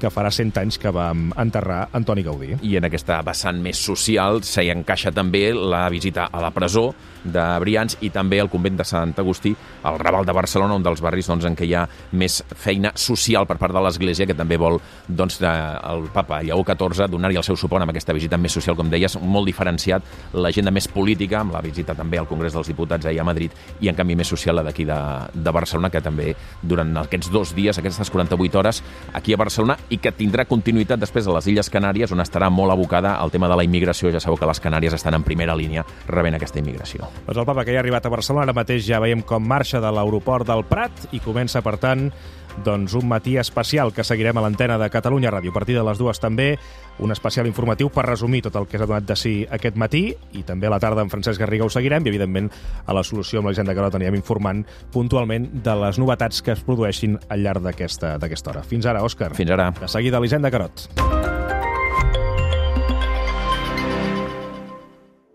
que farà 100 anys que vam enterrar Antoni Gaudí. I en aquesta vessant més social s'hi encaixa també la visita a la presó de Brians i també al convent de Sant Agustí, al Raval de Barcelona, un dels barris en què hi ha més feina social per part de l'Església, que també vol el papa Lleó XIV donar-hi el seu suport amb aquesta visita més social, com deies, molt diferenciat, l'agenda més política, amb la visita també al Congrés dels Diputats ahir a Madrid, i en canvi més social la d'aquí de Barcelona, que també durant aquests 2 dies, aquestes 48 hores, aquí a Barcelona, i que tindrà continuïtat després a les Illes Canàries, on estarà molt abocada al tema de la immigració. Ja sabeu que les Canàries estan en primera línia rebent aquesta immigració. Doncs el papa, que ja ha arribat a Barcelona, ara mateix ja veiem com marxa de l'aeroport del Prat i comença, per tant, un matí especial que seguirem a l'antena de Catalunya Ràdio. A partir de les 2 també un especial informatiu per resumir tot el que s'ha donat de si aquest matí, i també a la tarda amb Francesc Garriga ho seguirem, i evidentment a la Solució amb l'Agenda Carot anirem informant puntualment de les novetats que es produeixin al llarg d'aquesta hora. Fins ara, Òscar. Fins ara. De seguida a l'Agenda Carot.